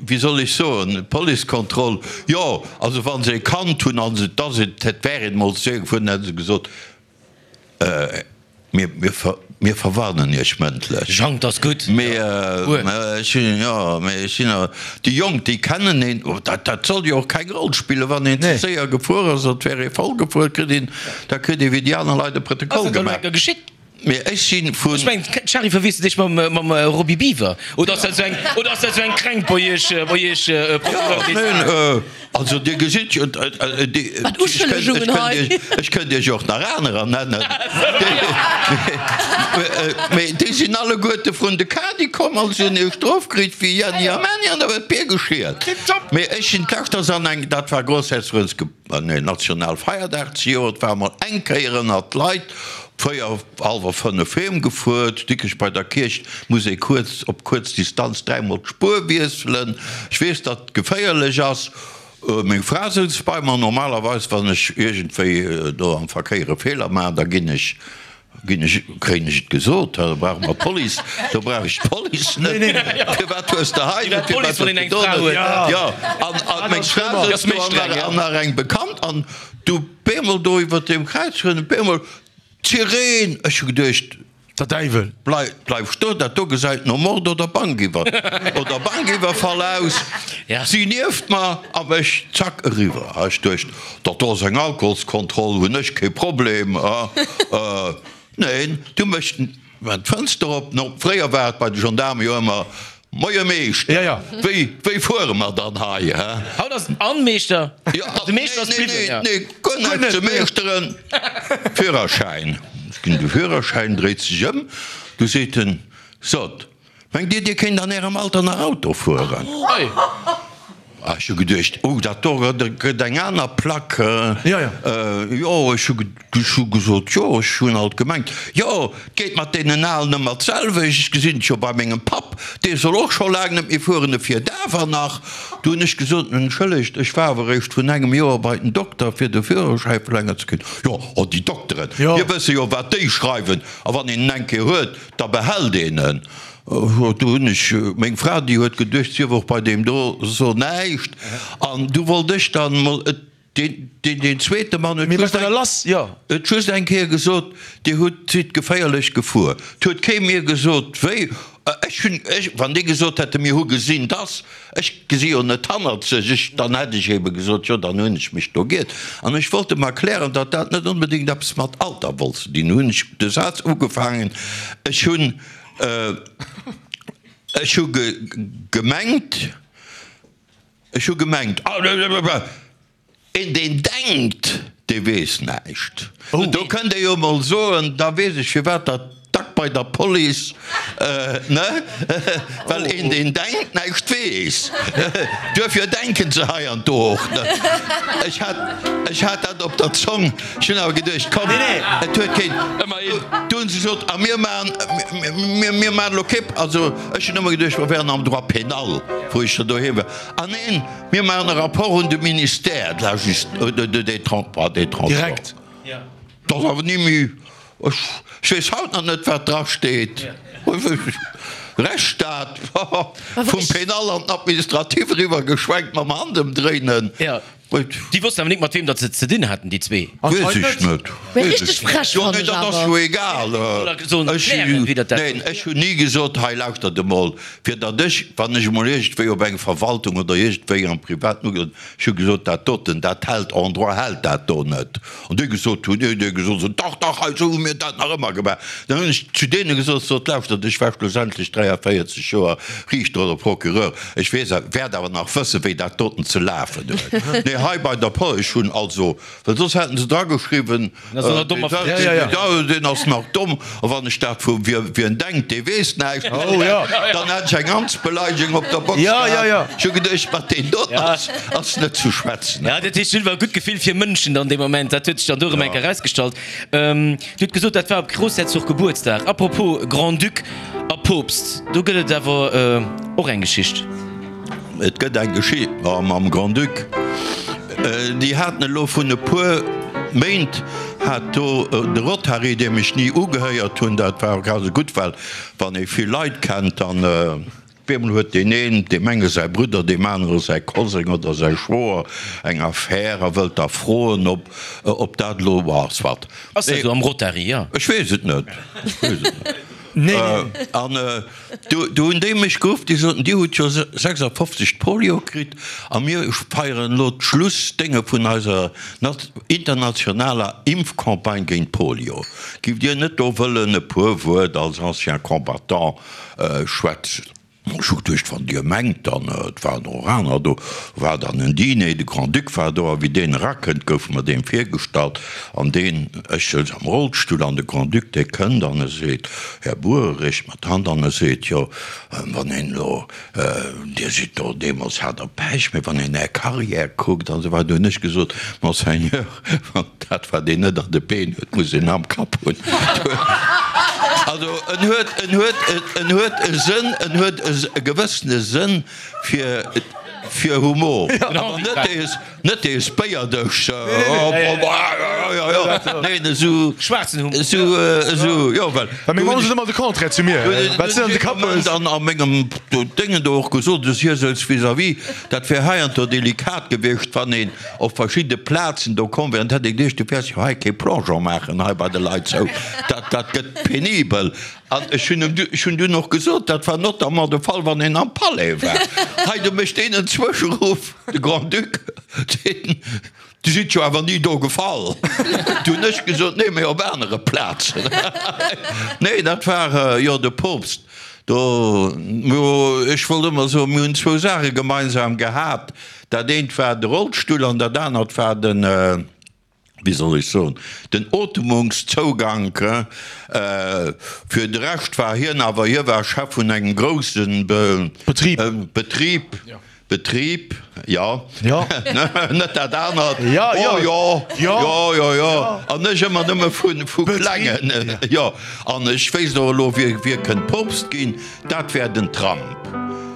wéi soll ech soen, d'Policekontroll, jo, also wa se e kannt hunn, an et ass et, et wär een emol ze gefuer, dann hätte se gesot, Mir, mir verwarnen Iech mëndlech. Jang, 't ass gutt. Mee ech sinn, jo, mee ech sinn awer, déi Jonk, déi kennen een, dat, dat soll jo och keng Roll spillen, wann een ze séier gefuer ass, et wär ee voll gefuer, kritt een, da kritt ee wéi déi aner Leit e Protokoll Ass dat elo gemaach. eng Kéier geschitt? Mee ech si vun. Ech mengen, d'Shari verwiesselt iech mam, mam Roby Biwer. Oder ass dat esou eng, oder ass dat esou eng Kränkt bei iech, bei iech, Procureur Jo, d'État? neen, also Dir gesitt jo, déi, Wat ech kënnt, ech Uschëllegungen kënnt hei. iech, ech kënnt iech och nach anerer nennen. Mee déi sinn alleguerte vrun de Kadi komm an se hunn hir Strof kritt wéi Jenni a Männi an da huet d'Bier geschielt. Mee ech sinn d'lescht ass an eng, dat war Grossherzogins, nee, Nationalfeierdag zejoert, war emol eng Kéier ënnert d'Leit. Véier, hallwer fënnef heem gefuer. Zu Dikrech bei der Kierch muss ee kuerz, op kuerz Distanz dräimol d'Spuer wiesselen. Ech weess, datt et geféierlech ass. Meng Fra souz bei mer. Normalerweis, wann ech iergendwéi do am Verkéier e Feeler maachen, da ginn ech, ginn ech, kréien ech et gesot. Da brauche mer d'Police, do brauch ech d'Police net. Firwat hues de hei net, firwat hues de do net? Jo, an, an meng Fra souz do an nach, an nach eng Bekannt an du bemol do iwwert deem Kräiz fueren, bemol D'Sireen! Ech hu geduecht. Der Däiwel! Bleif stoen, dat do gesäit no Mord oder Bankiwwer oder Bankiwwerfall aus. Si nieft mer a mech, zack, eriwwer. Ech duecht, dat do ass eng Alkoholskontroll, hunn ech kee Problem. Neen, du méchs d'Fënster op. No, fréier war et bei de Gendaarme jo ëmmer, Moie Meeschter, wéi, wéi fuere mer dann hei, hä? Haut ass en Meeschter. Jo, De Meeschter ass nee, bliwwen, nee, ja. nee, guer net, de Meeschteren. Führerschäin. Ech ginn de Führerschäin, dréit sech ëm, du seet en, Sot, mengt Dir, Dir kéint an Ärem Alter nach Auto fueren? Oi. Ah, ech hu geduecht, oh, dat do gëtt eng aner Plack. Jo, jo. Jo, ech hu ech hu gesot, jo, ech hunn alt gemengt, jo, et geet mat deenen Alen ëmmer d'selwecht, ech gesinn et jo bei mengem Papp, dee soll och scho laang net méi fueren, e fiert awer nach. Du hunn ech gesot, entschëllegt, ech war awer eréischt vrun engem Joer bei den Dokter, fir de Führerschäi verlängert ze kréien. Jo, oh, déi Dokteren, mir wësse jo, wat déi schreiwen, a wann een en eng Kéier huet, da behält een en. Do hunn ech, meng Fra, déi huet geduecht, si wier och bei deem do, so näischt. An du wollt ech dann mol, deen, deen zweete Mann huet just eng, huet just eng Kéier gesot, Dir hutt, sidd geféierlech gefuer. Et huet kee mir gesot, wéi. Ech hunn, ech, wann déi gesot hätte mir hu gesinn, dass, ech gesi jo net hannerzeg, ech, dann hätt ech ebe gesot, jo, dann hunn ech mech do giert. An ech wollt em erklären, datt dat net onbedéngt eppes mat Alter wollt ze dinn hunn. Ech hunn de Saz ugefaangen, ech hunn, Ech hu gemengt, ech hu gemengt, een deen denkt, dee weess näischt. Do kënnt ee jo emol soen, da weess ech firwat datt dack bei der Police, ne, well een deen denkt näischt weess. Duerfir denken se hei an do och net. Ech hat, ech hat dat op der Zong. Ech hunn awer geduecht, komm, et huet keen. Du hunn se gesot, a mir maachen, mir maachen elo kee, also ech hunn ëmmer geduecht, mer wären am Droit pénal, wou ech da doheem war. Ah neen, mir maachen e Rapport un de Ministère de la Justice, des Transports. Direkt. Dat ass awer ni méi, ech weess haut nach net, wat drasteet. Rechtsstaat, vum Pénal an den Administratif eriwwer geschwenkt mam Handëmdréinen. Déi wossten awer nik mat weem datt se et ze dinn haten, déi zwee. Weess ech net. Mee richteg frech Jo, fannen nee, ech dat ass awer. jo egal. Sollen Ech, erklären, wéi dat dat. neen, ech hunn ni gesot, hei lauschtert emol, fir datt ech, wann ech emol iergendwéi op eng Verwaltung oder iergendwéi am Privaten ugesot, ech hu gesot, dat doten, dat hält, en droit hält dat do net. An déi gesot hunn, déi gesot hunn, dach, dach, hei esou hu mir dat nach ëmmer gemaach. Dann hunn ech zu deene gesot, sot, lauschtert, ech war schlussendlech 43 Joer Riichter oder Procureur, ech weess, wäert awer nach wëssen, wéi dat doten ze lafen huet. Nee, hei bei der Pol, ech hunn also, well soss hätten se drageschriwwen, deen ass nach domm, a wann ech dat vu wien denkt, dee weess näischt, dann hätt ech eng Amtsbeleidegung op der Box gehat. Ech hu geduecht, mat deem doten ass net zu schwätzen. Jo, dat heescht, du hutt awer e gutt Gefill fir Mënschen dann dee Moment. Dat huet sech dann do erëm eng Kéier erausgestallt. Dir hutt gesot, dat war op Groussherzog Gebuertsdag. Apropos Grand-Duc a Poopst, do gëtt et awer och eng Geschicht. Et gëtt eng Geschicht mam Grand-Duc. Déi haten elo vun e puer Méint hat do de Rotary, deem ech ni ugehéiert hunn, dat war och grad esou gutt, well wann ee vill Leit kennt, dann op eemol huet deen een deem enge säi Brudder, deem anere säi Koseng oder säi Schwoer eng Affär a wëllt da froen, ob ob dat elo, soit. Ass dat esou am Rotary, jo? Ech weess et net. Ech weess et net. Nee, nee. An du, du hunn déi mech geruff, déi soten, Dir hutt jo 56 d'Polio kritt a mir feieren elo d'Schlussdénge vun eiser internationaler Impfcampagne géint d'Polio. Giff Dir net do wëllen e puer Wuert als ancien combattant schwätzen? Ech hu geduecht, wann Dir mengt, dann, et waren och aner do, war dann en Dîner, de Grand-Duc war do, a wéi deen erakënnt, goufe mer deem virgestallt, an deen, ech souz am Rollstull, an de Grand-Duc, dee kënnt an e seet, Här Bour, e reecht mer d'Hand an e seet, jo, wann een elo, Dir sidd do, deemools hat Der Pech, mee wann een Är Carrière kuckt an esou weider, hunn ech gesot, Monseigneur, Wann dat wat een net an de Been huet, muss een am Kapp hunn. Also en huet, en huet, en huet e Sënn, en huet e gewëssene Sënn fir, fir Humor. Awer net dee, net dee Spéierdësch, neen, esou, Schwaarzen Humor. esou, esou, jo, well. Well meng Mamm seet ëmmer de Contraire zu mir, wat s de an de Kapp hues. Dann a mengem Déngen do och gesot, dass hie souz vis-à-vis, dat wär heiansdo delikat gewiescht, wann een Op verschidde Plazen do komm wär an hätt ee geduecht, du wäers jo hei kee Plongeon maachen hei bei de Leit sou, dat, dat gëtt penibel. An ech hunn em, ech hunn dunn och gesot, dat war notamment de Fall, wann een am Palais war. Hei, do mécht deen en Zwëscheruff, de Grand-Duc, deen, Du sidd jo awer ni do gefall. Du hunn ech gesot, Nee, mee op anere Plazen. Nee, dat war jo de Poopst do. Ech wollt ëmmer soen, mir hunn zwou Saache gemeinsam gehat, Dat eent war de Rollstull an dat anert war den, wéi soll ech soen, den Otemungszougank. Fir de Rescht war hien awer, hie war Chef vun engem grousse Betrib, Betrib, Betrib, jo, net dat anert, jo, jo, jo, jo, jo, an ech ëmmer nëmme vu klengen, jo. An ech wéisst och elo, wie kënnt Poopst ginn. Dat wär den Trump.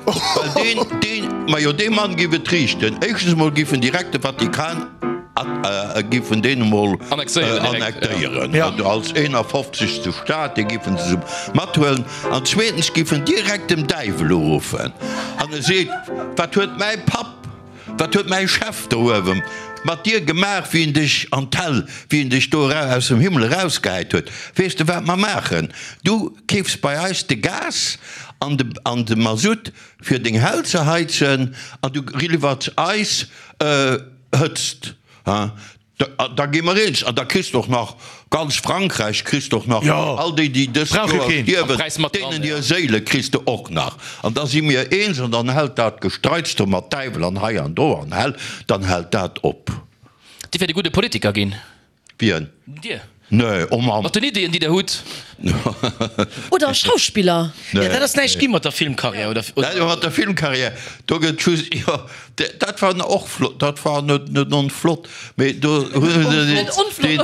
Well deen, deen, majo dee Mann giff et riichten. Éischtens emol giff en direkt de Vatikan giff en deen emol annektéieren, als 51. Staat, dee giffen se mathuelen. An zweetens giff en direkt dem Däiwel uruffen an e seet, Wat huet mäi Papp, Wat huet mäi Chef do uewe mat dir gemaach, wéi en dech an d'Hell, wéi en dech do aus dem Himmel erausgehäit huet? Weess de, wat mer maachen? Du keefs bei eis de Gas an de, an de Masutt, fir deng Hell ze heizen, an du liwwers eis Hëtzt. Da gi mer eens. An da kriss de och nach ganz Frankräich, kriss de och nach all déi, déi dëst Joer stierwen, deenen hir Séile kriss de och nach. An da si mir eens an dann hält dat Gestreits do mat Däiwel an hei an do an Hell, dann hält dat op. Dir wäert e gudde Politiker ginn. Wien? Dir. Nee, oh Mann. Mat den Ideeën, déi Der hutt. Oder Schauspiller. Jo, dat ass näischt gi mat der Filmkarriär, oder? Jo, mat der Filmkarriär, do gëtt just, jo, dat war och flott, dat war net net onflott, mee do hu se Net onflott,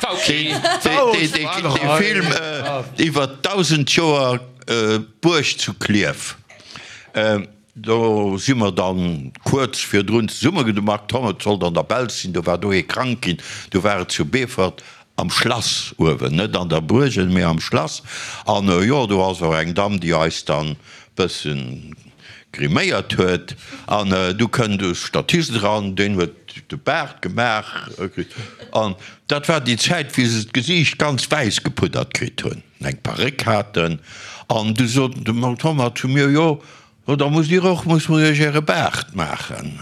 okay. War okay. dee dee Film iwwer 1.000 Joer Buerg zu Klierf. Do si mer dann kuerz virdrun zesumme, de Marc Thommet sollt an der Belsch sinn, do war do ee krank ginn, du war et zu Beefort am Schlass uewen, net an der Buergen, mee am Schlass. An jo, do ass och eng Damm, déi eis dann bëssen griméiert huet. An du kënnt e Statist eran, deen huet de Baart gemaach kritt. An dat war déi Zäit, wéi se d'Gesiicht ganz wäiss gepuddert kritt hunn. eng Paréck haten, an du sot de Marc Thomas zu mir, Jo, da musst Dir och, muss mer Iech Äre Baart maachen.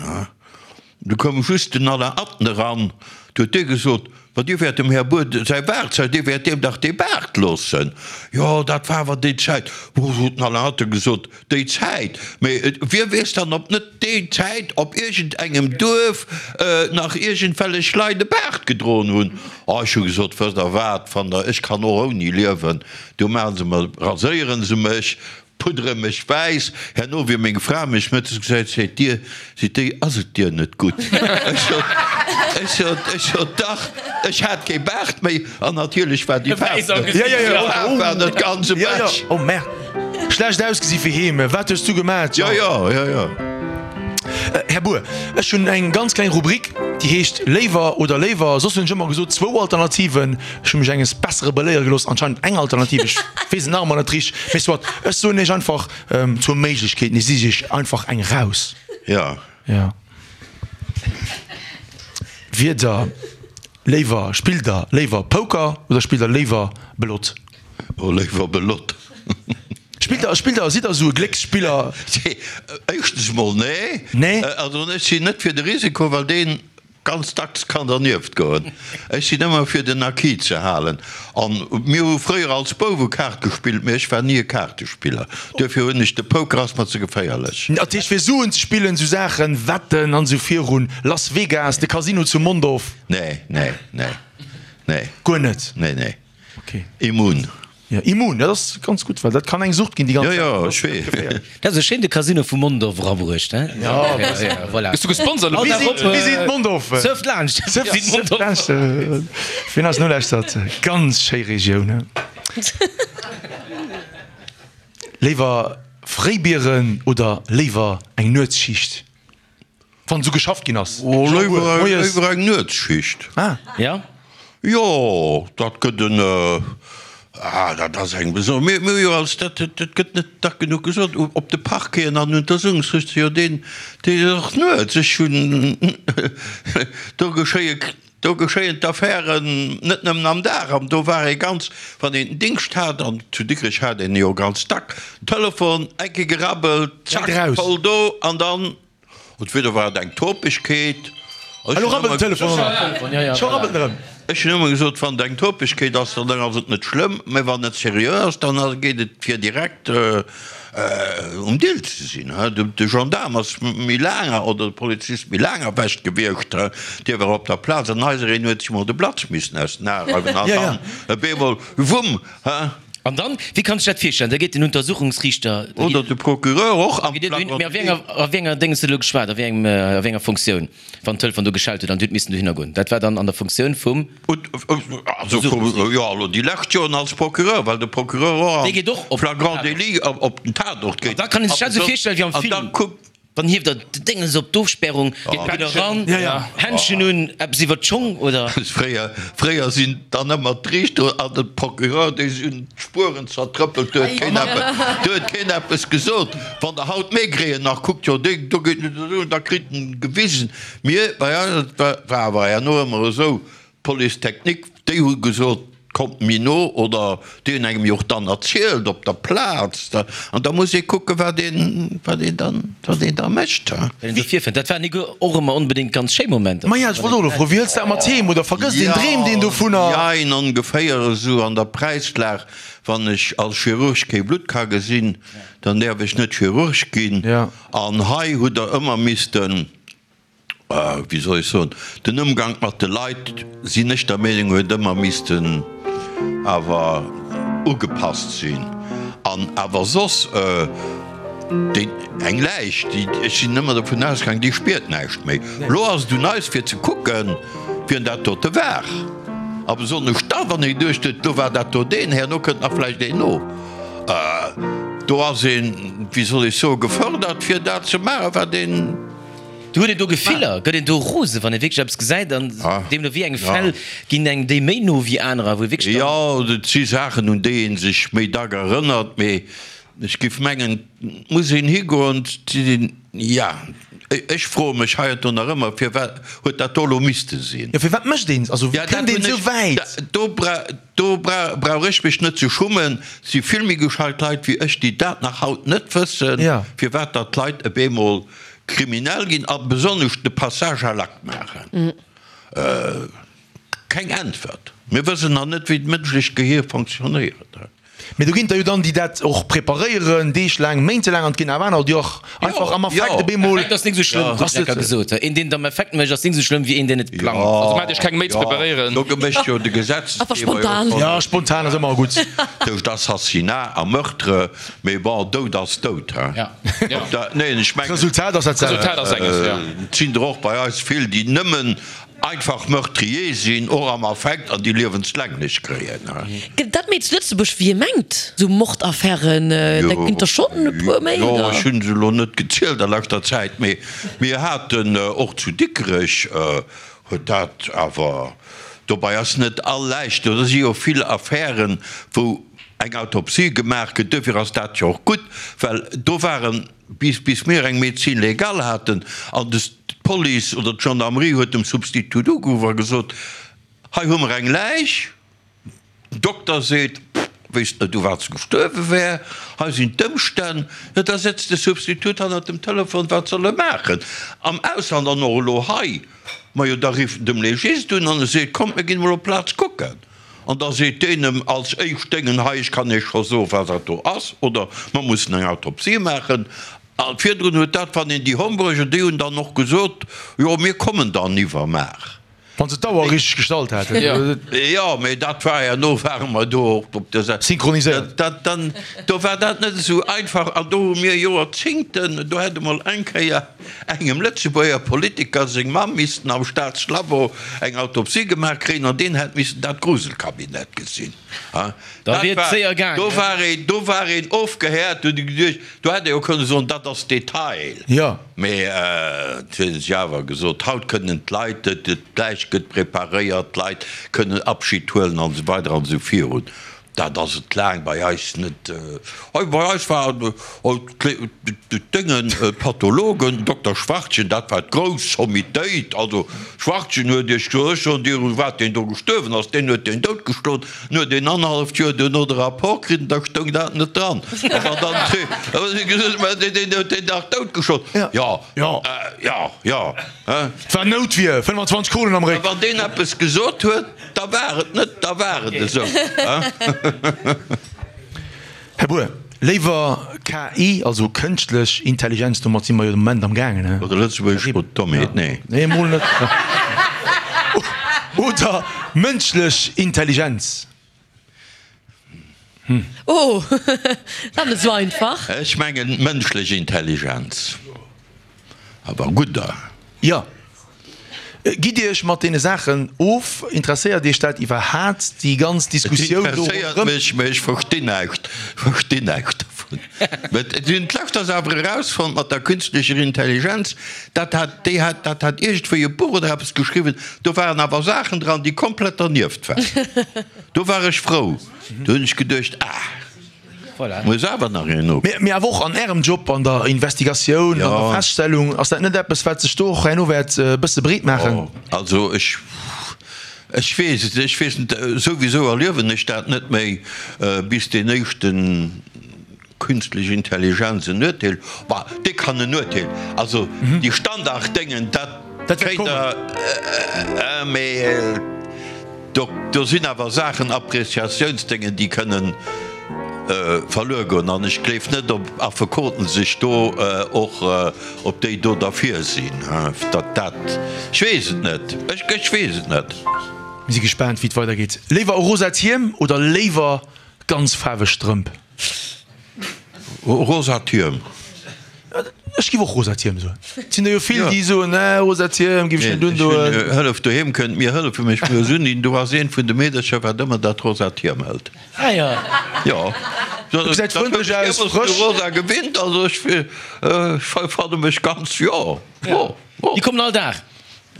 Du koum just den Alain Atten eran, du huet dee gesot, Ma Dir wäert dem Här Bour säi Baart, säi, Dir wäert deem dach dee Baart loossen. Jo, dat war awer déi Zäit. Bon, huet den Alain Atten gesot, Déi Zäit, mee wie weess dann, ob net déi Zäit op iergendengem Duerf nach iergendwellech Leit e Baart gedroen hunn. Oh, ech hu gesot, wësst Der wat, wann Der, ech kann och ouni liewen, du maache se mer, raséiere se mech, puddere mech wäiss. Herno, wéi meng Fra mech mëttes gesäit, seet, Dir, seet déi, ass et dir net gutt? Ech sot, ech sot, ech sot, dach, ech hat kee Baart méi an natierlech war déi Faarf net, déi Faarf war net ganz ewech. Oh merde. Schlecht ausgesi fir heem. Wat hues du gemat? Jo, jo, jo, jo. Här Bour, ech hunn eng ganz kleng Rubrik, déi heescht Léiwer oder léiwer. Soss hunn ech ëmmer gesot zwou Alternativen. Ech hu mech enges Bessere beléiere gelooss, anscheinend eng Alternativ. Ech weess et nach ëmmer net richteg. Mee soit, ech soen iech einfach zwou Méiglechkeeten. Ech sich iech einfach eng raus. Jo. Jo. Wier der léiwer, spillt der léiwer Poker oder spillt der léiwer Belotte? Oh, léiwer Belotte. Spillt der, spillt der, sidd der esou e Glécksspiller? Éischtens mol nee. Nee? Also ech sinn net fir de Risiko, well deen ganz dacks kann dernieft goen. Ech sinn ëmmer fir den Acquis ze halen. An mir hu fréier als Bouwe Kaart gespillt, mee ech war ni e Kaartespiller. Duerfir hunn ech, de Poker ass mer ze geféierlech. Dat heescht fir Suen ze spillen, esou Saachen, Wetten an esou virun, Las Vegas, de Casino zu Mondorf? Nee, nee, nee, nee. Guer net? Nee, nee. Okay. Immun. Ja, immun, dat ass ganz gutt, well dat kann eng Sucht ginn déi ganz Ja, ja, ech weess. Dat ass e schéin de Casino vu Mondorf erabruecht, he? Ja, ja, voilà. Gëss du gesponsert elo? Visite, Visite Mondorf. Surft laanscht. Surft laanscht. Wien eis nolauschtert, ganz schéi Regioun, he? Léiwer Fréibieren oder léiwer eng Nuetsschicht? Wann esou geschafft ginn ass. Oh, léiwer eng Nuetsschicht. Ah. Ja? Jo, dat gëtt en, ah, dat ass eng beson-, mir hu jo als, dat, dat gëtt net dacks genuch gesot, op de Parqueten an Untersuchungsrichter, jo, deen, deen ass och nuets. Ech hunn, do geschéie Do geschéien d'Affären net nëmmen am Dag. An do war ee ganz, wann een den Dingscht hat, an zu Dikrech hat een e jo ganz dack, Telefon, eng Kéier gerabbelt, zack, voll do, an dann, entweder war et eng Topegkeet, ech Elo hunn rabbelt den ëmmer, Telefon och nach. Scho rabbelt en erëm. ech hunn ëmmer gesot, wann et eng Topegkeet ass, dann ass et net schlëmm, mä wann et seriö ass, dann geet et fir direkt Um Dill ze sinn. De Gendaarm ass méi laang, oder de Polizist méi laang erwächt gewiescht, dee war op der Plaz an eisereen huet sech mol de Blatz missen aus den Ae reiwen an dann op eemol, wumm! An dann, wéi kann ech dat virstellen, da geet den Untersuchungsriichter, da Oder geet. de Procureur och am Mee flagrant a wéi enger, a wéi enger Déngs huet elo geschwat, a wéi engem, a wéi enger Funktioun, wann d'Telefon do geschellt huet an Dir hutt missen dohinner goen? Dat war dann an der Funktioun vum. Also jo, elo déi lescht Joren als Procureur, well de Procureur och Dee geet och am op flagrant délit op den Tatort An geet. da kann een sech dat esou virstellen wéi am An da Film, kuckt. dann hieft der d'Déngens op d'Ofspärung, geet eran, Händschen un, eppes iwwer d'Schong oder. Fréier, fréier sinn dann ëmmer d'Riichter an de Procureur, déi hunn d'Spueren zertrëppelt, do huet keen eppes, do huet keen eppes gesot. Wann der haut Maigret nach kuckt, jo dee do geet net esou, da kritt en gewisen. Mir, bei eis, et war awer herno ëmmer esou, d'Police technique, déi hu gesot, kommt méi no, oder déi hunn engem jo och dann erzielt op der Plaz, an da muss ee kucken, wat een, wat een dann, wat een da mécht. Wat een do virfënnt. Dat waren nik och ëmmer onbedéngt ganz schéi Momenter. Maja, ech wollt och elo froen, wéi hëls de dat mat heem, oder vergësst een, dreemt een dovunner? Jein, ongeféier esou an der Präislag, wann ech als Chirurg kee Blutt ka gesinn, dann däerf ech net Chirurg ginn. An hei hutt Der ëmmer missten, wéi soll ech soen, den Ëmgank mat de Leit, sinn ech der Meenung, huet ëmmer missten awer ugepasst sinn. An awer soss, déi, eng Läich, déi, ech sinn ëmmer dovun ausgaangen, déi spiert näischt méi. Elo ass et un eis fir ze kucken, wien dat dote war. A besonnesch da, wann ee geduecht huet, do war dat do deen, herno kënnt nach vläicht een no. Do ass een, wéi soll ech soen, gefërdert fir dat ze maachen, wat een. Du huet een do Gefiller, gëtt een do rose wann ee wierklech eppes gesäit an deemno wéi eng Fäll ginn engem déi méi no wéi anerer, wou ee wierklech dann. Jo, et si Saachen un déi ee sech méi dack erënnert, mee ech géif mengen, et muss een higoen, et sinn een, ja, ech froe mech heiansdo nach ëmmer, firwat huet dat do elo misste sinn? Jo, firwat mécht een, also wéi Ja, dat kënnt een hunn esou ech, wäit? do bra, do bra, brauch ech mech net ze schummen, et si vill méi gescheit Leit wéi ech, déi dat nach haut net wëssen, firwat datt d'Leit op eemol Kriminell ginn a besonnesch de Passage à l'acte maachen? Keng Äntwert. Mir wëssen nach net, wéi d'mënschlecht Gehier fonctionnéiert. Mee do ginn der jo dann, déi dat och preparéieren, deeglaang, méintelaang, an et ginn awer aner, déi och einfach am Affekt op eemol. Affekt ass nik esou schlëmm, huet Lecker gesot. Een, deen et am Affekt mécht, ass nik esou schlëmm wéi een, deen et plangt. Also maacht Iech keng Méi ze preparéieren. Do mécht jo de Gesetzgeber jo och. Jo, spontan ass ëmmer gutt. Tëscht Assassinat a Meurtre, mee bon, Doud ass Doud, hein. Neen, ech mengen, D'Resultat ass dat selwecht. D'Resultat ass enges, jo. Et sinn der och bei eis vill, déi nëmmen einfach Meurtrier sinn, och am Affekt, an déi liewenslänglech kréien. Gëtt et dat méi zu Lëtzebuerg wéi ee mengt, esou Mordaffären? Dat ginn der schonn e puer méi, Jo, oder? ech hunn se elo net gezielt a leschter Zäit, mee mir haten och zu Dikrech, huet dat awer, dobei ass net all Läich, do si jo vill Affären, wou eng Autopsie gemaach gëtt, duerfir ass dat jo och gutt, well do waren, bis, bis mir eng Médecine légale haten an de, d'Police oder d'Gendarmerie huet dem Substitut ugeruff a gesot, hei hu mer eng Läich, den Dokter seet, pff, Wéisst net u wat se gestuerwe wär. Hei sinn d'Ëmstänn. Jo, da sëtzt de Substitut hannert dem Telefon, wat soll e maachen? Am Ausland an och elo hei, majo da rifft en dem Legist un an e seet, kommt mir ginn emol op d'Plaz kucken. An da seet deen em als éischt Déngen, hei ech kann Iech scho soen, wat dat do ass, oder mer mussen eng Autopsie maachen. A virdrun huet dat, wann een déi Homburger, déi hunn dann och gesot, jo mir kommen dann iwwermaach. Wann se d'Auer richteg gestallt hätten. Jo, mee dat war herno ware mer do och op der Säit. Synchroniséiert. Dat dann, do war dat net esou einfach an do hu mir Joerzingten, do hätt emol eng Kéier engem Lëtzebuerger Politiker seng Mamm missten am Staatslabo eng Autopsie gemaach kréien an deen hätt missen dat Gruselkabinett gesinn. Da wier et séier gaangen. Do war een, do war een ofgehäert, do huet ee geduecht, do hätt ee jo kënne soen, dat ass Detail. Jo. Mee et huet sech awer gesot, haut kënnen d'Leit, d'Läich gëtt preparéiert, d'Leit kënnen Abschid huelen an esou weider an esou virun. Dat ass et laang bei eis net. Hei bei eis war d'Déngen, d'Pathologen, Dokter Schwartgen, dat war d'grouss Sommitéit. Also Schwartgen huet Iech gesot, ech soen dir, u wat deen do gestuerwen ass, deen huet deen doutgeschloen. En huet een annerhalleft Joer duerno de Rapport kritt an da stoung dat net dran. A wann dann gesot, mä deen huet deen dach doutgeschloen. Jo, jo, jo. Et war Noutwier, 25 Kronen am Réck. A wann deen eppes gesot huet, da war et net, da war et esou. Här Bour, léiwer KI, also kënschtlech Intelligenz, domat si mer jo de Moment am gaangen, he? Oder lëtzebuergesch Dommheet, nee. Nee, mol net. Oder mënschlech Intelligenz. Hm. Oh, dat ass net esou einfach. Ech mengen mënschlech Intelligenz. Awer gudder. Jo. Gitt Dir Iech mat deene Saachen of? Interesséiert Iech dat iwwerhaat, déi ganz Diskussioun do ronderëm? Et interesséiert mech, mä ech verstinn näischt, verstinn näischt dovun. Mä si hunn d'lescht ass awer erausfonnt mat der künstlecher Intelligenz, dat hat, déi hat, dat hat iergendwéi e Buch oder eppes geschriwwen, do waren awer Saachen dran, déi komplett dernieft waren. Do war ech frou, do hunn ech geduecht, ah. Voilà. Muss awer nach een no. Mee awer och an Ärem Job, an der Investigatioun, an der Feststellung, ass dat net eppes, wat sech do och herno wäert e bësse breet maachen? Jo, also ech, ech weess et, ech weess net, souwisou erliewen ech dat net méi, bis deen éischten Künstlich Intelligenz en Urteel, bah, dee kann en Urteel, also déi Standarddéngen, dat kréit Der, mee. Do, do sinn awer Saachen, Appréciatiounsdéngen, déi kënnen verluer goen. An ech gleef net, ob Affekoten sech do och, ob déi do derfir sinn, datt dat, ech weess et net, ech, ech weess et net. Mir si gespaant, wéi et weidergeet. Léiwer e rosat Hiem oder léiwer ganz faarweg Strëmp? Rosa Tierm. Ech giff och rosa Tierm soen. Et sinn der jo vill déi soen, nee rosa Tierm giff ech net undoen. Hëllef doheem kënnt mir hëllefe mech muer uninn. Do ass eent vun de Meedercher wat ëmmer dat rosa Tierm hëlt. Ah jo. Jo. Dat gesäit frëndlech aus, frësch. Rosa gewinnt, also ech fanne mech ganz, jo. Déi kommen all Dag.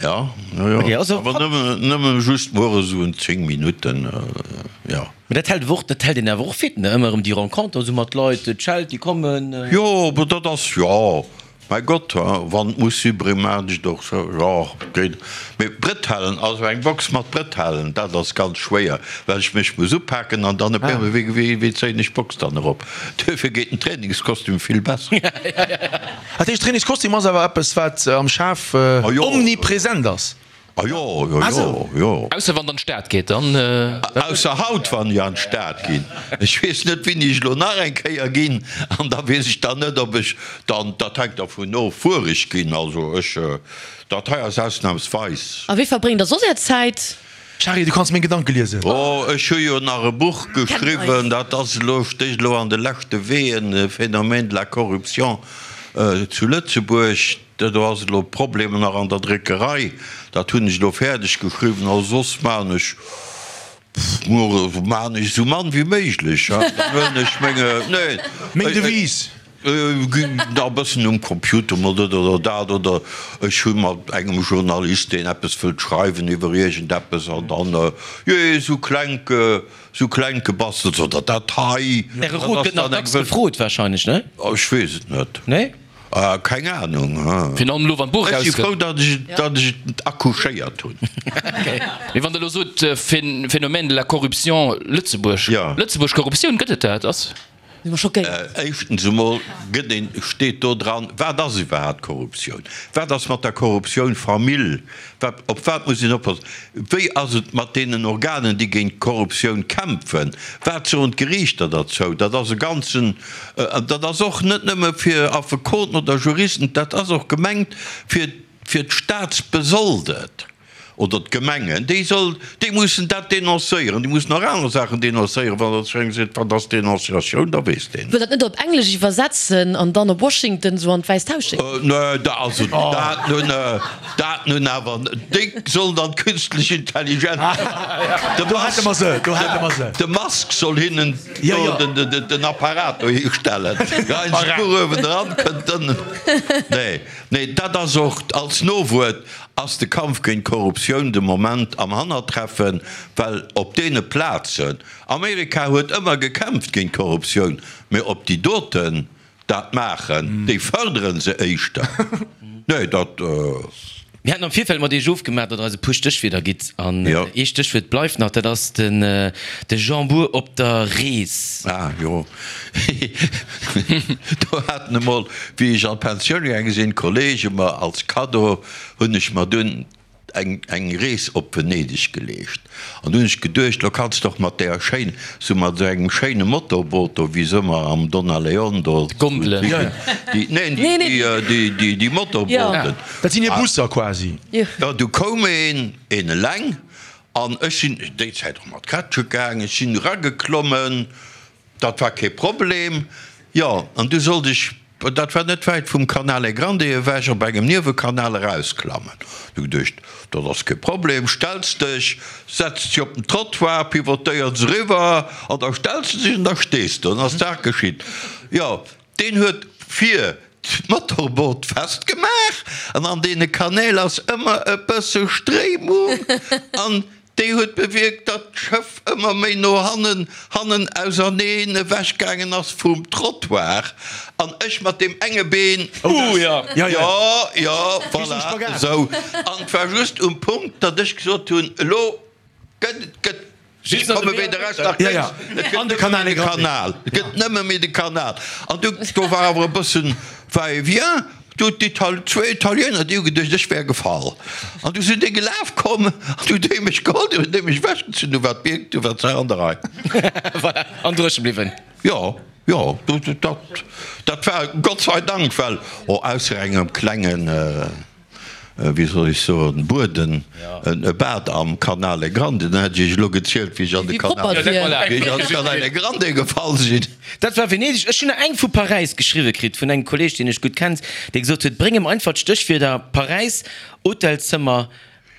Jo, jo, jo. Okay, also Awer nëmmen, nëmmen just mueres esou en 10 Minutten, jo. Mä dat hält awer och, dat hält een awer och fit, ne? Ëmmer erëm déi Renconter esou mat Leit, d'Scheld, déi kommen. Jo, awer dat ass, jo, mäi Gott, wann et muss si brémat ech et och sou, jo, geet. Mee Brëtellen, also eng Box mat Brëtellen, dat ass ganz schwéier, well ech mech muss upaken an dann op eemol, wéi, wéi, wéi zéien ech d'Box dann erop? Duerfir geet den Trainingskostüm vill besser. Dat heescht, Trainingskostüm ass awer eppes, wat am Schaf omnipresent ass? Ah jo, jo, jo, jo. Ausser wann der an d'Stad geet, dann. Ausser haut, wann ech an d'Stad ginn. Ech weess net, wéini ech elo nach eng Kéier ginn. An da weess ech dann net, ob ech dann, dat hänkt dervun of, wuer ech ginn. Also ech, dat hei ass ausnahmsweis. A wéi verbréngt der soss är Zäit? Shari, du kanns meng Gedanke liesen. Oh, ech hu jo nach e Buch geschriwwen, dat ass elo, stécht elo an de leschte Wehen, Phénomène de la corruption zu Lëtzebuerg. Do ass elo Problemer nach an der Dréckerei, dat hunn ech elo fäerdeg geschriwwen. Also soss maachen ech, maachen ech esou mann wéi méiglech. Dann huelen ech menge, nee. Meng Devise. Ginn da e bëssen um Computer mol dat oder dat, oder ech hu mat engem Journalist, deen eppes wëllt schreiwen iwwer iergendeppes, an dann, jee, esou klenk, esou klenk gebastelt, oder dat hei. Äre Rot gëtt nach dacks gefrot wahrscheinlech, ne? Ech weess et net. Nee? Keng Ahnung. Virun allem elo wann d'Buch Ech si erauskënnt. frou, datt ech, datt ech et accouchéiert hunn. Mee wann Der elo sot, Phénomène de la corruption Lëtzebuerg, Lëtzebuerg Korruptioun, gëtt et dat? Ass. Si mer schockéiert. Éischtens emol gëtt een, steet do dran, wat ass iwwerhaapt Korruptioun? Wat ass mat der Korruptioun Famill? Wat, op wat muss een oppassen? Wéi ass et mat deenen Organen, déi géint d'Korruptioun kämpfen? Wat soen d'Geriichter derzou? Dat ass e ganzen, dat ass och net nëmme fir Affekoten oder Juristen, dat ass och gemengt fir, fir d'Staatsbesoldet. Oder d'Gemengen, déi soll, déi mussen dat dénoncéieren, déi mussen och aner Saachen dénoncéieren, wann der zu engem seet, wat ass Dénonciatioun, da weess deen. Wëll dat net op Englesch iwwersetzen an dann op Washington sou an d'Wäisst Haus schécken? Nee, da, also dat nun, dat nun awer, déi sollen dann d'künstlech Intelligenz, de Do hätte mer se, do hätte mer se. De Musk soll hinnen do den, den Apparat dohi stellen, geien se d'Buch uewendran, kënnt ënnen, nee, nee, dat ass och als Nowuert. Ass de Kampf géint d'Korruptioun de Moment am Hannertreffen, well op deene Plazen, Amerika huet ëmmer gekämpft géint d'Korruptioun, mee ob déi doten dat maachen, déi fërdere se éischter. Nee, dat. Mir haten am Virfeld mat Iech ofgemaach, datt Der eis e puer Stéchwierder gitt. An ee Stéchwuert bleift nach, dat ass den de Jean Bour op der Rees. Ah jo, do haten emol, wéi ech an d'Pensioun gaange sinn, Kollege mer als Kaddo hunn ech mer dunn eng eng Rees op Venedeg geleescht. An du hunn ech geduecht, lo kanns de och mat deer schéin, sou mat esou engem schéine Motorboot do, wéi se ëmmer am Donna Leon do, D'Gondelen. déi, neen, déi, déi, déi, déi Motorbooten. Dat sinn hir Busser quasi. Jo, du koum een, een eleng, an ech sinn déi Zäit och mat Krätche gaang, ech sinn erageklommen, Dat war kee Problem. Jo, an du sollt ech, dat war net wäit vum Canale Grande ewech, op engem Niewekanal erausklammen. Du geduecht, dat ass kee Problem, stells dech, setz dech op den Trottoir, pivotéiers eriwwer an da stells de dech an da stees de. An ass d'Saach geschitt. Jo, deen huet vir d'Motorboot festgemaach an an deene Kanäl ass ëmmer e bësse Stréimung an Déi huet bewierkt, datt d'Schëff ëmmer méi no hannen, hannen auserneen ewech gaangen ass vum Trottoir an ech mat deem enge Been, Ooh jo, jo, jo, voilà, esou. An et war just um Punkt, datt ech gesot hunn, elo gëtt et, gëtt, ech komme weder Rechts nach lénks, et gëtt nëmme méi de Kanal, et gëtt nëmme méi de Kanal. An du, do war awer e bëssen Va-et-vient. Du, d'Ital, zwee Italiener, déi hu geduecht, ech wär gefall. An du sinn déi gelaf komm an du hunn déi mech geholl, du hunn déi mech ewechgezunn, du war d'Bierg, du war d'Saach an der Rei. Voilà, an dréche bliwwen. Jo, jo, du, dat, dat war Gott sei Dank, well, oh, ausser engem klengen, wéi soll ech soen, Bueden, e Bad am Canale Grande, dann hätt ech iech elo gezielt, wéi ech an de Canale, wéi ech an de Canale Grande gefall sinn. Dat war Venedeg. Ech hunn nach eng vu Paräis geschriwwe kritt, vun engem Kolleeg, deen ech gutt kennt, dee gesot huet, Bréng em einfach d'Stéchwierder Paräis, Hotelzëmmer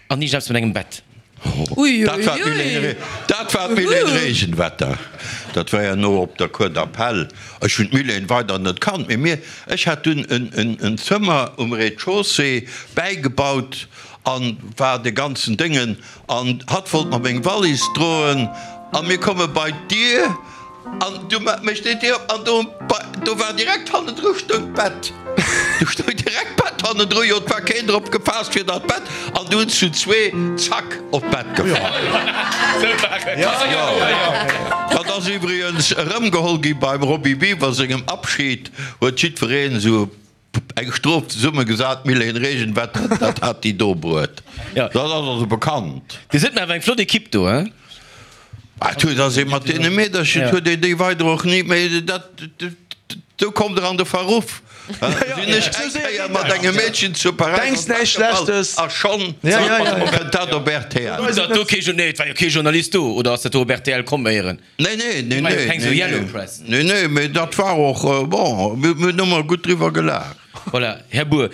an iergendeppes mat engem Bett. Dat war d'Mylène, dat war d'Mylène Regenwetter. Dat war jo no op der Cour d'appel. Ech hunn d'Mylène weider net kannt, mee mir, ech hat dunn en Zëmmer um Rez-de-chaussée bäigebaut an war de ganzen Déngen an hatt wollt mer meng Wallis droen a mir komme bei d'Dier An du mécht déi Dier op an do, do war direkt hannendru stoung d'Bett. Do stoung direkt d'Bett hannendru, jo, et war keen drop gepaasst fir dat Bett an du hunn zu zwee, zack, op d'Bett gefall. Jo, dat ass iwwregens erëmgeholl gi beim Roby Biwer sengem Abschied, huet jiddwereen esou Eng Strof zesummegesat, Mylène Regenwetter, dat hat déi do bruet. Dat ass also bekannt. Dir sidd mir awer eng flott Equipe do, hein? Ah, et huet ass ee mat deene Meedercher, et huet een déi weider och ni méi, dat, do kommt der an de Verruff. Sinn ech eng Kéier mat engem Meedchen zu Paräis an d'Bett gefall a schonn kënnt dat op rtl. Datt do kee, nee, et war jo kee Journalist do, oder ass dat do op rtl komm éieren? Nee, nee, nee, nee, nee, nee, nee, nee, mee dat war och, bon, mir hunn ëmmer gutt driwwer gelaacht. Voilà, Här Bour,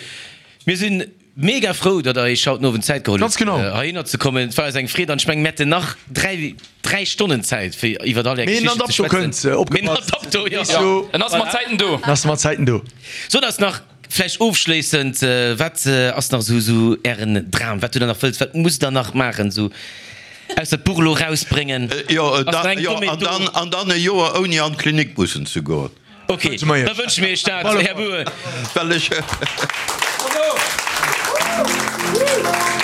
mir si mega frou, datt Der Iech haut den Owend Zäit geholl hutt, heihinner ze kommen. Et war eis eng Freed an ech mengen, mir hätten nach dräi, dräi Stonnen Zäit, fir iwwer all Är Geschichten ze schwätzen. Mee en Adapto, jo. En ass mat Zäiten do. En ass mat Zäiten do. Sot eis nach vläicht ofschléissend, Wat ass nach esou Ären Dram? Wat hutt Der nach wëlles? Wat musst Der nach maachen, esou ausser d'Buch elo erausbréngen? Jo, an dann e Joer ouni an d'Klinik mussen ze goen. Ok, da wënsche mir Iech dat, Här Bour. Well ech.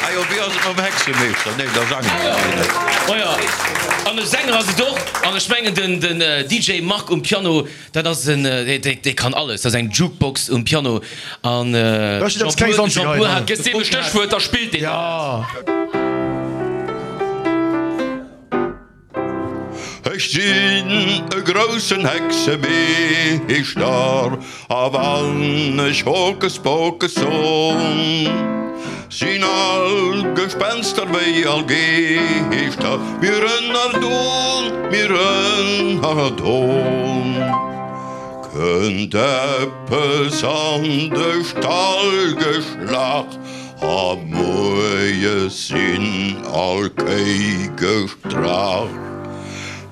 Ah jo, wéi ass et mam Hexemeeschter? Nee, da sange mer deen net. Oh jo, an e Sänger ass et och. An ech mengen, den, den DJ Marc um Piano, dat ass en, dee kann alles. Dat ass eng Jukebox um Piano. An Jean Bour, Jean Bour hat. Gëss deem e Stéchwuert, da spillt deen dat. Ech sinn e groussen Hexemeeschter, a wann ech Hokus Pokus son, sinn all Gespenster wéi all Geeschter, mir ënnerdon, mir ënnerdon. Kënnt eppes an de Stall geschlach, A moies sinn all Kéi gestrach.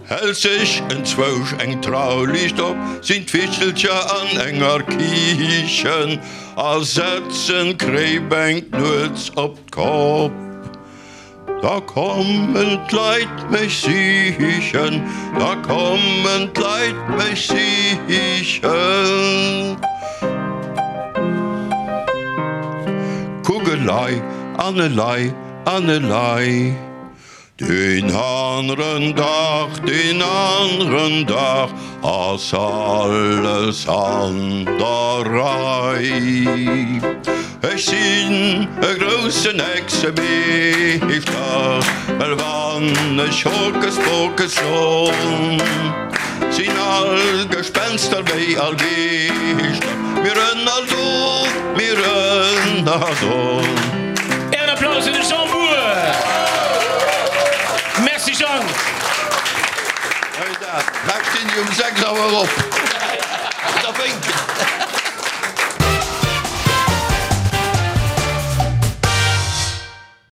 Hält sech enzwousch eng Trauliicht op, sinn d'Wichtelcher an enger Kichen a setzen d'Kréibänk nuets op d'Kopp. Da kommen d'Leit mech sichen, da kommen d'Leit mech sichen. Kuck elei an elei an elei. Deen aneren Dag, deen aneren Dag ass alles an der Rei. Ech sinn e groussen Hexemeeschter, well wann ech Hokus Pokus son, sinn all Gespenster wéi all Geeschter, mir ënner do, mir ënner do. Ären Applaus fir de Jean Bour! Merci Jang! Hei dat, haut stinn déi um 6 Auer op. Da wénken.